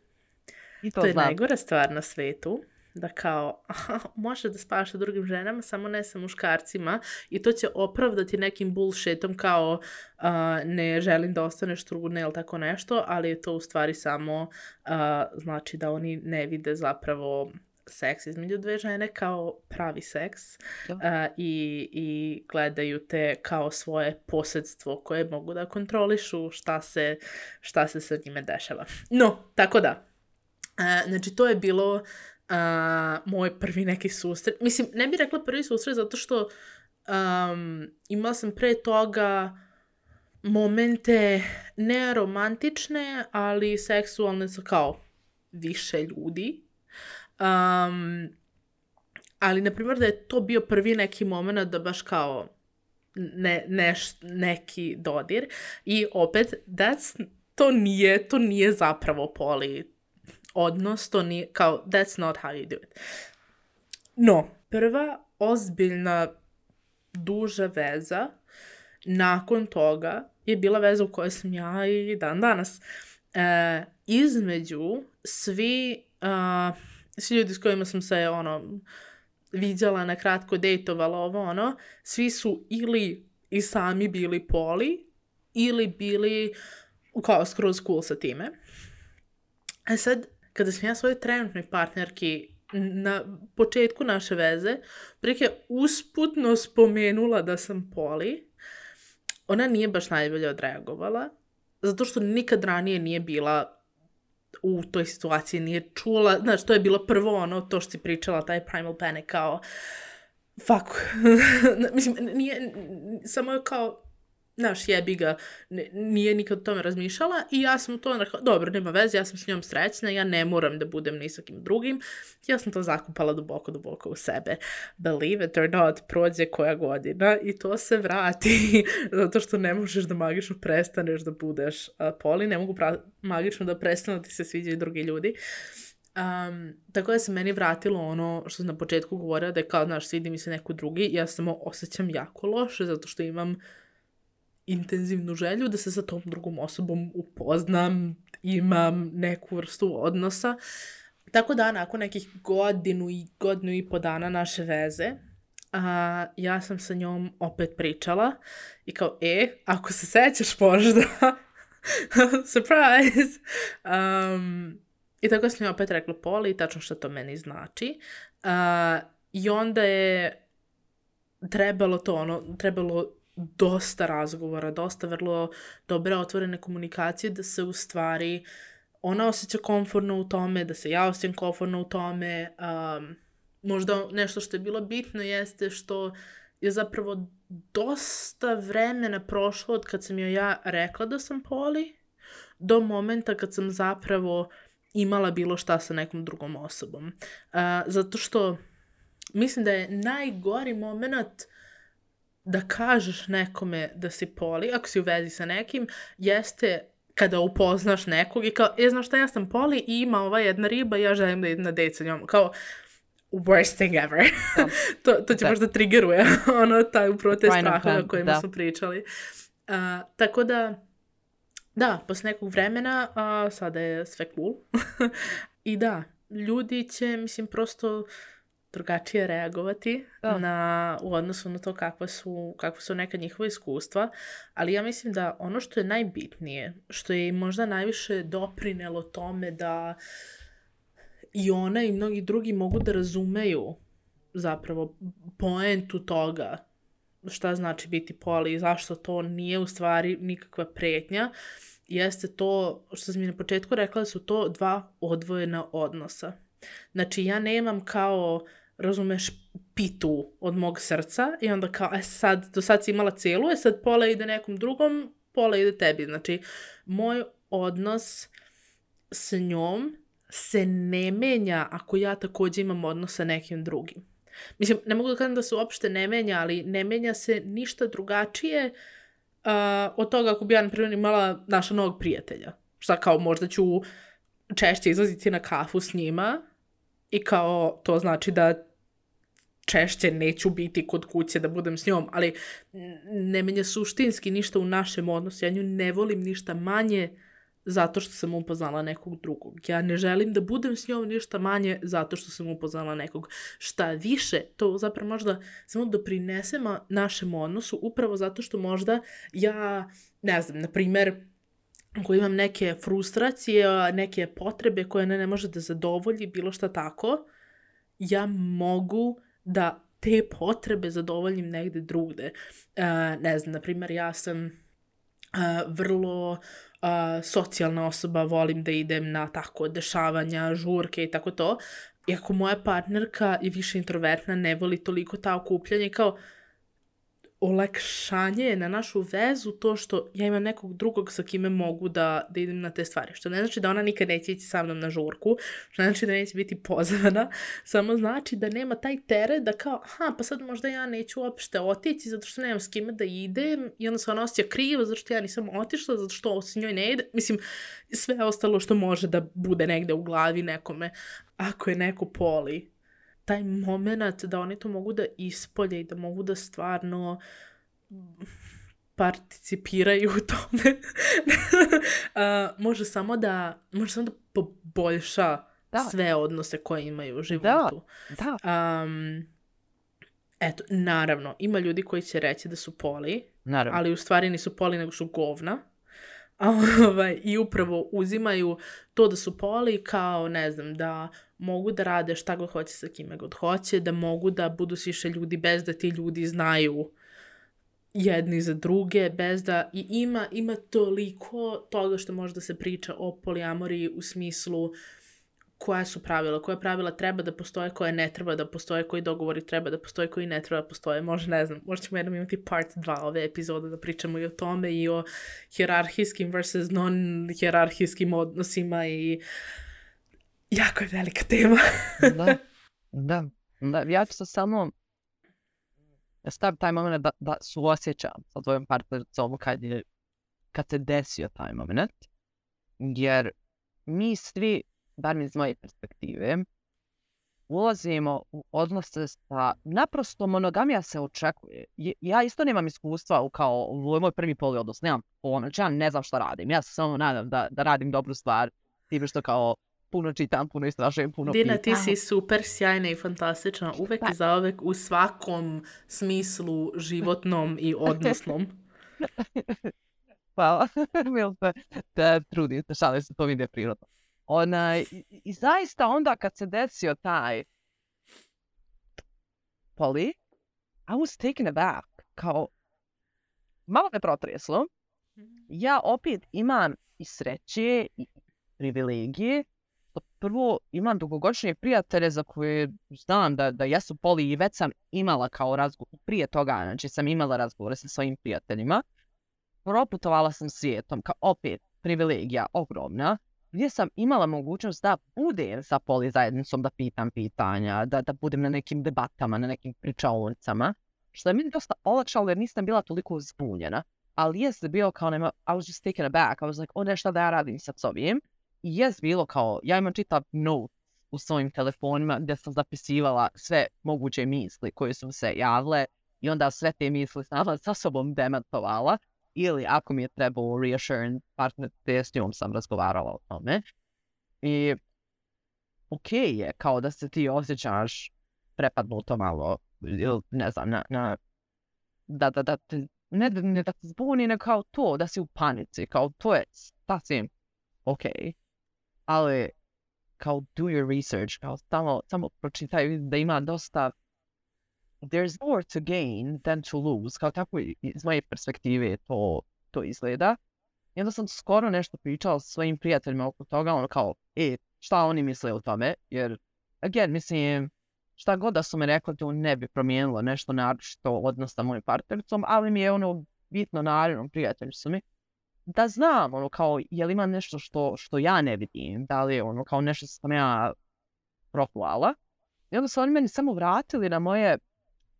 I to to je znam. najgora stvar na svetu. Da kao, aha, možeš da spavaš sa drugim ženama, samo ne sa muškarcima. I to će opravdati nekim bullshitom kao uh, ne želim da ostaneš trudna ili tako nešto, ali je to u stvari samo uh, znači da oni ne vide zapravo seks između dve žene kao pravi seks uh, i, i gledaju te kao svoje posredstvo koje mogu da kontrolišu šta se, šta se sa njime dešava. No, tako da. Uh, znači, to je bilo uh, moj prvi neki susret. Mislim, ne bih rekla prvi susret zato što um, imala sam pre toga momente ne romantične, ali seksualne sa kao više ljudi. Um, ali, na primjer, da je to bio prvi neki moment da baš kao ne, neš, neki dodir. I opet, that's, to, nije, to nije zapravo poli odnos, to nije, kao, that's not how you do it. No, prva ozbiljna duža veza nakon toga je bila veza u kojoj sam ja i dan danas. E, između svi... Uh, svi ljudi s kojima sam se, ono, viđala, na kratko dejtovala, ovo, ono, svi su ili i sami bili poli ili bili kao skroz cool sa time. A sad, kada sam ja svojoj trenutnoj partnerki na početku naše veze prike usputno spomenula da sam poli, ona nije baš najbolje odreagovala, zato što nikad ranije nije bila u toj situaciji, nije čula, znaš, to je bilo prvo ono, to što si pričala, taj primal panic, kao, fuck, mislim, nije, samo je kao, znaš, jebi ga, nije nikad o tome razmišljala i ja sam to rekla, dobro, nema veze, ja sam s njom srećna, ja ne moram da budem ni sa kim drugim, ja sam to zakupala duboko, duboko u sebe. Believe it or not, prođe koja godina i to se vrati, zato što ne možeš da magično prestaneš da budeš uh, poli, ne mogu pra- magično da prestanu da ti se sviđaju drugi ljudi. Um, tako da se meni vratilo ono što sam na početku govorila, da je kao, znaš, svidi mi se neko drugi, ja samo osjećam jako loše, zato što imam intenzivnu želju da se sa tom drugom osobom upoznam, imam neku vrstu odnosa. Tako da, nakon nekih godinu i godinu i po dana naše veze, a, ja sam sa njom opet pričala i kao, e, ako se sećaš možda, surprise! Um, I tako sam joj opet rekla poli i tačno što to meni znači. Uh, I onda je trebalo to, ono, trebalo dosta razgovora, dosta vrlo dobre otvorene komunikacije da se u stvari ona osjeća komfortno u tome, da se ja osjećam komfortno u tome. Um, možda nešto što je bilo bitno jeste što je zapravo dosta vremena prošlo od kad sam joj ja rekla da sam poli do momenta kad sam zapravo imala bilo šta sa nekom drugom osobom. Uh, zato što mislim da je najgori moment da kažeš nekome da si poli, ako si u vezi sa nekim, jeste kada upoznaš nekog i kao, je, znaš šta, ja sam poli i ima ova jedna riba i ja želim da idem na dejt sa njom. Kao, worst thing ever. to, to će da. Možda triggeruje ono, taj upravo te strahove o kojima smo pričali. Uh, tako da, da, posle nekog vremena, uh, sada je sve cool. I da, ljudi će, mislim, prosto drugačije reagovati oh. na, u odnosu na to kakva su, kakva su neka njihova iskustva, ali ja mislim da ono što je najbitnije, što je možda najviše doprinelo tome da i ona i mnogi drugi mogu da razumeju zapravo poentu toga šta znači biti poli i zašto to nije u stvari nikakva pretnja, jeste to što sam mi na početku rekla, su to dva odvojena odnosa. Znači ja nemam kao, razumeš, pitu od mog srca i onda kao, e sad, do sad si imala celu, e sad pola ide nekom drugom, pola ide tebi. Znači, moj odnos s njom se ne menja ako ja također imam odnos sa nekim drugim. Mislim, ne mogu da kažem da se uopšte ne menja, ali ne menja se ništa drugačije uh, od toga ako bi ja, na primjer, imala naša novog prijatelja. Šta kao, možda ću češće izlaziti na kafu s njima i kao, to znači da češće neću biti kod kuće da budem s njom, ali ne menja suštinski ništa u našem odnosu. Ja nju ne volim ništa manje zato što sam upoznala nekog drugog. Ja ne želim da budem s njom ništa manje zato što sam upoznala nekog. Šta više, to zapravo možda samo doprinesemo našem odnosu upravo zato što možda ja, ne znam, na primjer, ako imam neke frustracije, neke potrebe koje ne, ne može da zadovolji, bilo šta tako, ja mogu da te potrebe zadovoljim negde drugde. Uh, ne znam, na primjer, ja sam uh, vrlo uh, socijalna osoba, volim da idem na tako dešavanja, žurke i tako to. I ako moja partnerka je više introvertna, ne voli toliko ta okupljanja, kao olakšanje je na našu vezu to što ja imam nekog drugog sa kime mogu da, da idem na te stvari. Što ne znači da ona nikad neće ići sa mnom na žurku, što ne znači da neće biti pozvana, samo znači da nema taj teret da kao, aha, pa sad možda ja neću uopšte otići zato što nemam s kime da idem i onda se ona osjeća krivo zato što ja nisam otišla, zato što se njoj ne ide. Mislim, sve ostalo što može da bude negde u glavi nekome. Ako je neko poli, taj moment da oni to mogu da ispolje i da mogu da stvarno participiraju u tome, uh, može samo da može samo da poboljša da. sve odnose koje imaju u životu. Da, da. Um, Eto, naravno, ima ljudi koji će reći da su poli, Naravno. ali u stvari nisu poli, nego su govna. A, ovaj, I upravo uzimaju to da su poli kao, ne znam, da mogu da rade šta god hoće sa kime god hoće, da mogu da budu s više ljudi bez da ti ljudi znaju jedni za druge, bez da... I ima, ima toliko toga što može da se priča o polijamoriji u smislu koja su pravila, koja pravila treba da postoje, koje ne treba da postoje, koji dogovori treba da postoje, koji ne treba da postoje. Može, ne znam, možda ćemo jednom imati part dva ove epizode da pričamo i o tome i o hierarhijskim versus non-hierarhijskim odnosima i jako je velika tema. da, da, da. Ja ću se samo stavim taj moment da, da suosjećam sa tvojom partnericom kad, je, kad se desio taj moment. Jer mi svi, bar mi iz moje perspektive, ulazimo u odnose sa... Naprosto monogamija se očekuje. Ja isto nemam iskustva u kao u moj prvi poli odnos. Nemam ono, ja ne znam šta radim. Ja se samo nadam da, da radim dobru stvar. Time što kao puno čitam, puno istražujem, puno Dina, pitam. ti si super sjajna i fantastična. Uvek i zauvek u svakom smislu životnom i odnosnom. Hvala. Mil se te trudim, te šalim se, to vide prirodno. Ona, i, i zaista onda kad se desio taj poli, I was taken aback. Kao, malo me protreslo. Ja opet imam i sreće i privilegije. Prvo, imam dugogodišnje prijatelje za koje znam da, da jesu poli i već sam imala kao razgovor. Prije toga, znači sam imala razgovore sa svojim prijateljima. Proputovala sam svijetom, kao opet privilegija ogromna, gdje sam imala mogućnost da budem sa poli zajednicom, da pitam pitanja, da, da budem na nekim debatama, na nekim pričaonicama, što je mi dosta olakšalo jer nisam bila toliko zbunjena, ali jest bilo kao nema, I was just taken aback, I was like, o nešto da ja radim sad s ovim, i jest bilo kao, ja imam čitav note u svojim telefonima gdje sam zapisivala sve moguće misli koje su se javile i onda sve te misli sama sa sobom demantovala. Ili ako mi je trebao reassurance partner, te s njom sam razgovarala o tome. I okej okay je kao da se ti osjećaš prepadnuto malo, ili ne znam, na, na, da, da, da, ne, ne da te zbuni, ne kao to, da si u panici, kao to je sasvim okej. Okay. Ali kao do your research, kao samo, samo pročitaj da ima dosta there's more to gain than to lose, kao tako iz moje perspektive to, to izgleda. I onda sam skoro nešto pričala sa svojim prijateljima oko toga, ono kao, e, šta oni misle o tome, jer, again, mislim, šta god da su me rekli, to ne bi promijenilo nešto naročito odnos sa mojim partnericom, ali mi je ono bitno naravno, prijatelji su mi, da znam, ono kao, je li ima nešto što, što ja ne vidim, da li je ono kao nešto što sam ja proklala. I onda su oni meni samo vratili na moje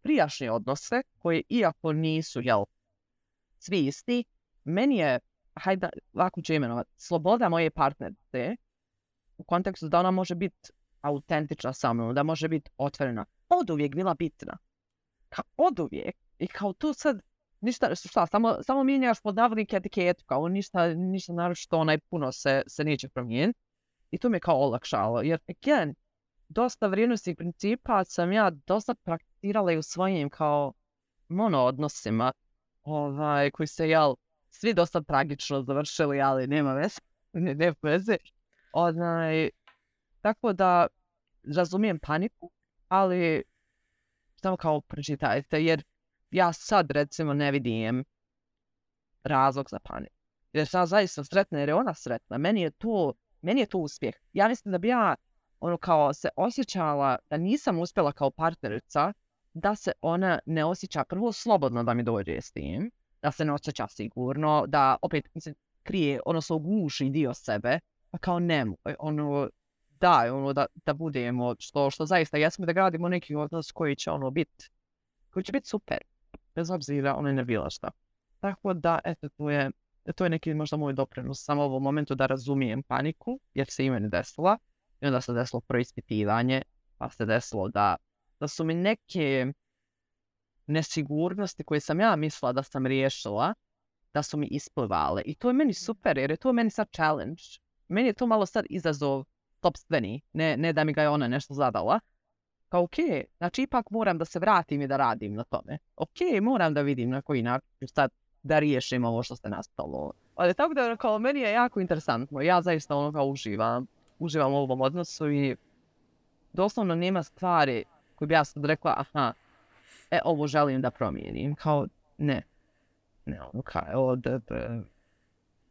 prijašnje odnose, koje iako nisu, jel, svi isti, meni je, hajde, lako ću imenovat, sloboda moje partnerice, u kontekstu da ona može biti autentična sa mnom, da može biti otvorena, od uvijek bila bitna. Kao od uvijek. I kao tu sad, ništa, šta, samo, samo mijenjaš podavnik etiketu, kao ništa, ništa naročito onaj puno se, se neće promijeniti. I to mi je kao olakšalo, jer, again, dosta vrijednostnih principa sam ja dosta prakticirala i u svojim kao mono odnosima, ovaj, koji se, jel, svi dosta tragično završili, ali nema veze, ne, ne veze. Onaj, tako da razumijem paniku, ali samo kao pročitajte, jer ja sad recimo ne vidim razlog za paniku. Jer sam zaista sretna, jer je ona sretna. Meni je to, meni je to uspjeh. Ja mislim da bi ja ono kao se osjećala da nisam uspjela kao partnerica, da se ona ne osjeća prvo slobodno da mi dođe s tim, da se ne osjeća sigurno, da opet mislim, krije, ono se uguši dio sebe, pa kao nemoj, ono, daj, ono, da, da budemo, što, što zaista jesmo da gradimo neki odnos koji će ono biti, koji će biti super, bez obzira ono ne bilo šta. Tako da, eto, to je, to je neki možda moj doprinos samo u ovom momentu da razumijem paniku, jer se i meni desila. I onda se desilo preispitivanje, pa se desilo da, da su mi neke nesigurnosti koje sam ja mislila da sam riješila, da su mi isplivale. I to je meni super, jer je to meni sad challenge. Meni je to malo sad izazov topstveni, ne, ne da mi ga je ona nešto zadala, Kao, ok, znači ipak moram da se vratim i da radim na tome. Ok, moram da vidim na koji način sad da riješim ovo što ste nastalo. Ali tako da, kao, meni je jako interesantno. Ja zaista ono kao uživam. Uživam u ovom odnosu i doslovno nema stvari koje bi ja sad rekla, aha, e, ovo želim da promijenim. Kao, ne. Ne, ono kao, od,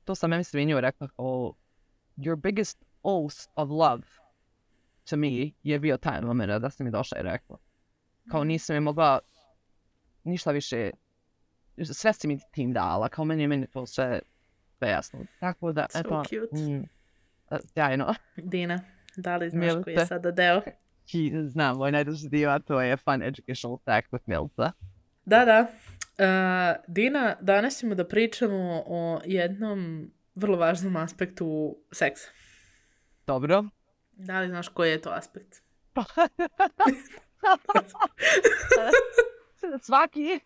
to sam meni svinio rekla, kao, your biggest oath of love to me je bio taj moment da si mi došla i rekla. Kao nisam je mogla ništa više, sve si mi tim dala, kao meni je meni to sve jasno. Tako da, So eto, cute. mm, sjajno. Dina, da li znaš Milice. koji je sada deo? I znam, moj najduži dio, a to je fun educational fact with Milca. Da, da. Uh, Dina, danas ćemo da pričamo o jednom vrlo važnom aspektu seksa. Dobro. Da li znaš koji je to aspekt? Svaki.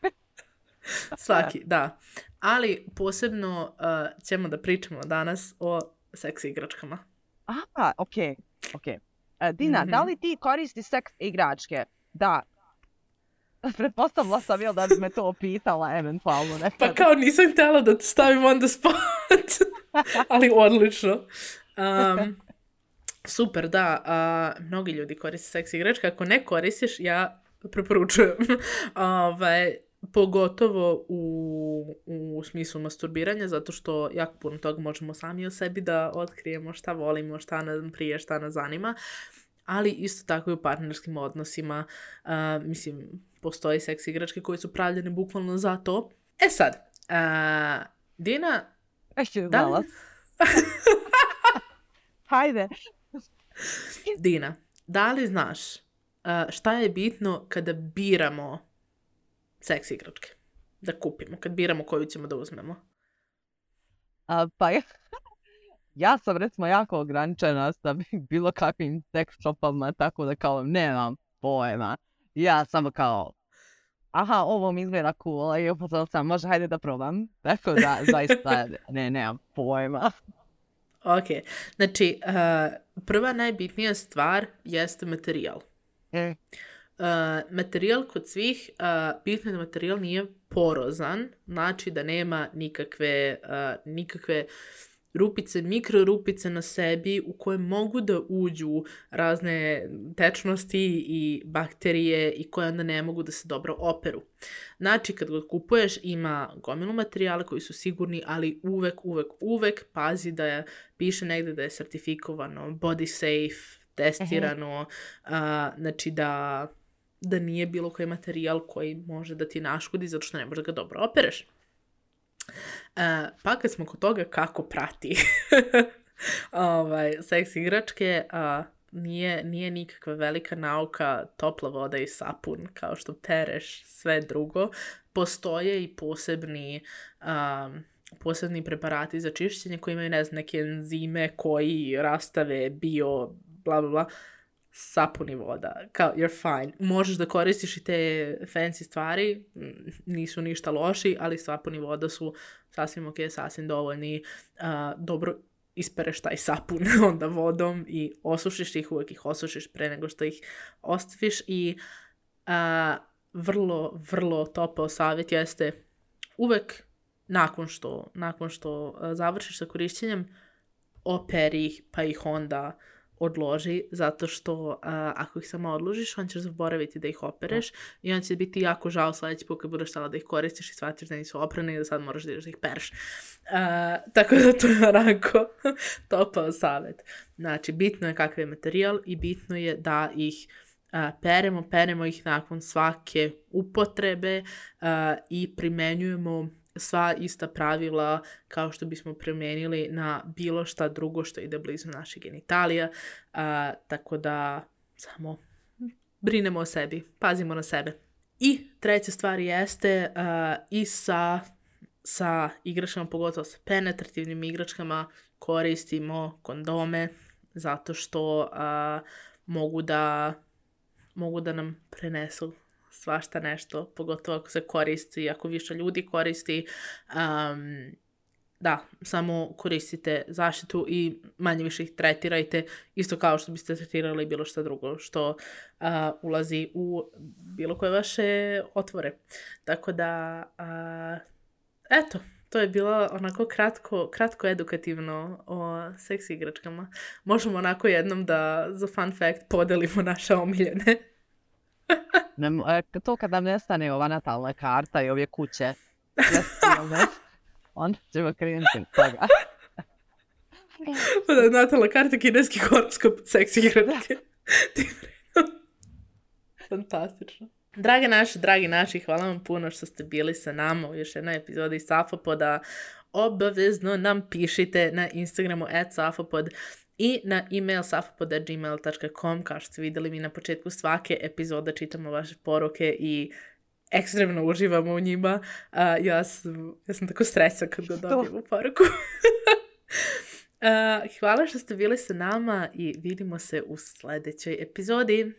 Svaki, da. Ali posebno uh, ćemo da pričamo danas o seks igračkama. Aha, okej, okej. E, Dina, Mhm. da li ti koristiš seks igračke? Da. Pretpostavila sam jel da bi me to pitala eventualno nekad. Pa kao nisam htjela da te stavim on the spot. Ali odlično. Um, super, da. Uh, mnogi ljudi koriste seks igračke. Ako ne koristiš, ja preporučujem. Ovaj, pogotovo u, u smislu masturbiranja, zato što jako puno toga možemo sami o sebi da otkrijemo šta volimo, šta nam prije, šta nas zanima. Ali isto tako i u partnerskim odnosima. Uh, mislim, postoji seks igračke koje su pravljene bukvalno za to. E sad, uh, Dina, Ešte da znala. li, Hajde. Dina, da li znaš uh, šta je bitno kada biramo seks igračke? Da kupimo, kad biramo koju ćemo da uzmemo. A, pa ja, ja sam recimo jako ograničena sa bilo kakvim sex shopama, tako da kao nemam pojma. Ja samo kao, aha, ovo mi izgleda cool, i upozorila sam, može, hajde da probam. Tako da, zaista, ne, nemam pojma. Ok, znači, uh, prva najbitnija stvar jeste materijal. E, Uh, materijal kod svih, uh, bitno je da materijal nije porozan, znači da nema nikakve, uh, nikakve rupice, mikrorupice na sebi u koje mogu da uđu razne tečnosti i bakterije i koje onda ne mogu da se dobro operu. Znači, kad ga kupuješ, ima gomilu materijala koji su sigurni, ali uvek, uvek, uvek pazi da je, piše negde da je sertifikovano, body safe, testirano, uh, znači da, da nije bilo koji materijal koji može da ti naškodi zato što ne možeš da ga dobro opereš. Uh, pa kad smo kod toga kako prati ovaj, seks igračke, uh, nije, nije nikakva velika nauka topla voda i sapun kao što pereš sve drugo. Postoje i posebni um, posebni preparati za čišćenje koji imaju, ne znam, neke enzime koji rastave bio bla bla bla. Sapun i voda, kao you're fine. Možeš da koristiš i te fancy stvari, nisu ništa loši, ali sapun i voda su sasvim ok, sasvim dovoljni. Uh, dobro ispereš taj sapun onda vodom i osušiš ih, uvek ih osušiš pre nego što ih ostaviš i uh, vrlo, vrlo topao savjet jeste uvek nakon što, nakon što uh, završiš sa korišćenjem, operi ih pa ih onda odloži, zato što uh, ako ih samo odložiš, on ćeš zaboraviti da ih opereš i on će biti jako žao sledeći put kad budeš stala da ih koristiš i shvatiš da nisu oprane i da sad moraš da ideš da ih pereš. Uh, tako da to je onako topao savjet. Znači, bitno je kakav je materijal i bitno je da ih uh, peremo, peremo ih nakon svake upotrebe uh, i primenjujemo sva ista pravila kao što bismo primijenili na bilo šta drugo što ide blizu naših genitalija. Uh, tako da samo brinemo o sebi, pazimo na sebe. I treća stvar jeste uh, i sa, sa igračkama, pogotovo sa penetrativnim igračkama, koristimo kondome zato što uh, mogu da, mogu da nam prenesu svašta nešto, pogotovo ako se koristi, ako više ljudi koristi. Um, da, samo koristite zaštitu i manje više ih tretirajte, isto kao što biste tretirali bilo što drugo što uh, ulazi u bilo koje vaše otvore. Tako da, uh, eto, to je bilo onako kratko, kratko edukativno o seks igračkama. Možemo onako jednom da za fun fact podelimo naše omiljene. Ne, to kad nam nestane ova natalna karta i ove kuće, onda ćemo krenuti od toga. Pa da, natalna karta, kineski horoskop, seks igračke. Fantastično. Drage naši, dragi naši, hvala vam puno što ste bili sa nama u još jednoj epizodi Safopoda. Obavezno nam pišite na Instagramu at safopod i na email safopod at gmail dot com. Kao što ste vidjeli, mi na početku svake epizode čitamo vaše poruke i ekstremno uživamo u njima. Uh, ja, sam, ja sam tako srećna kad ga dobijem u poruku. uh, hvala što ste bili sa nama i vidimo se u sljedećoj epizodi.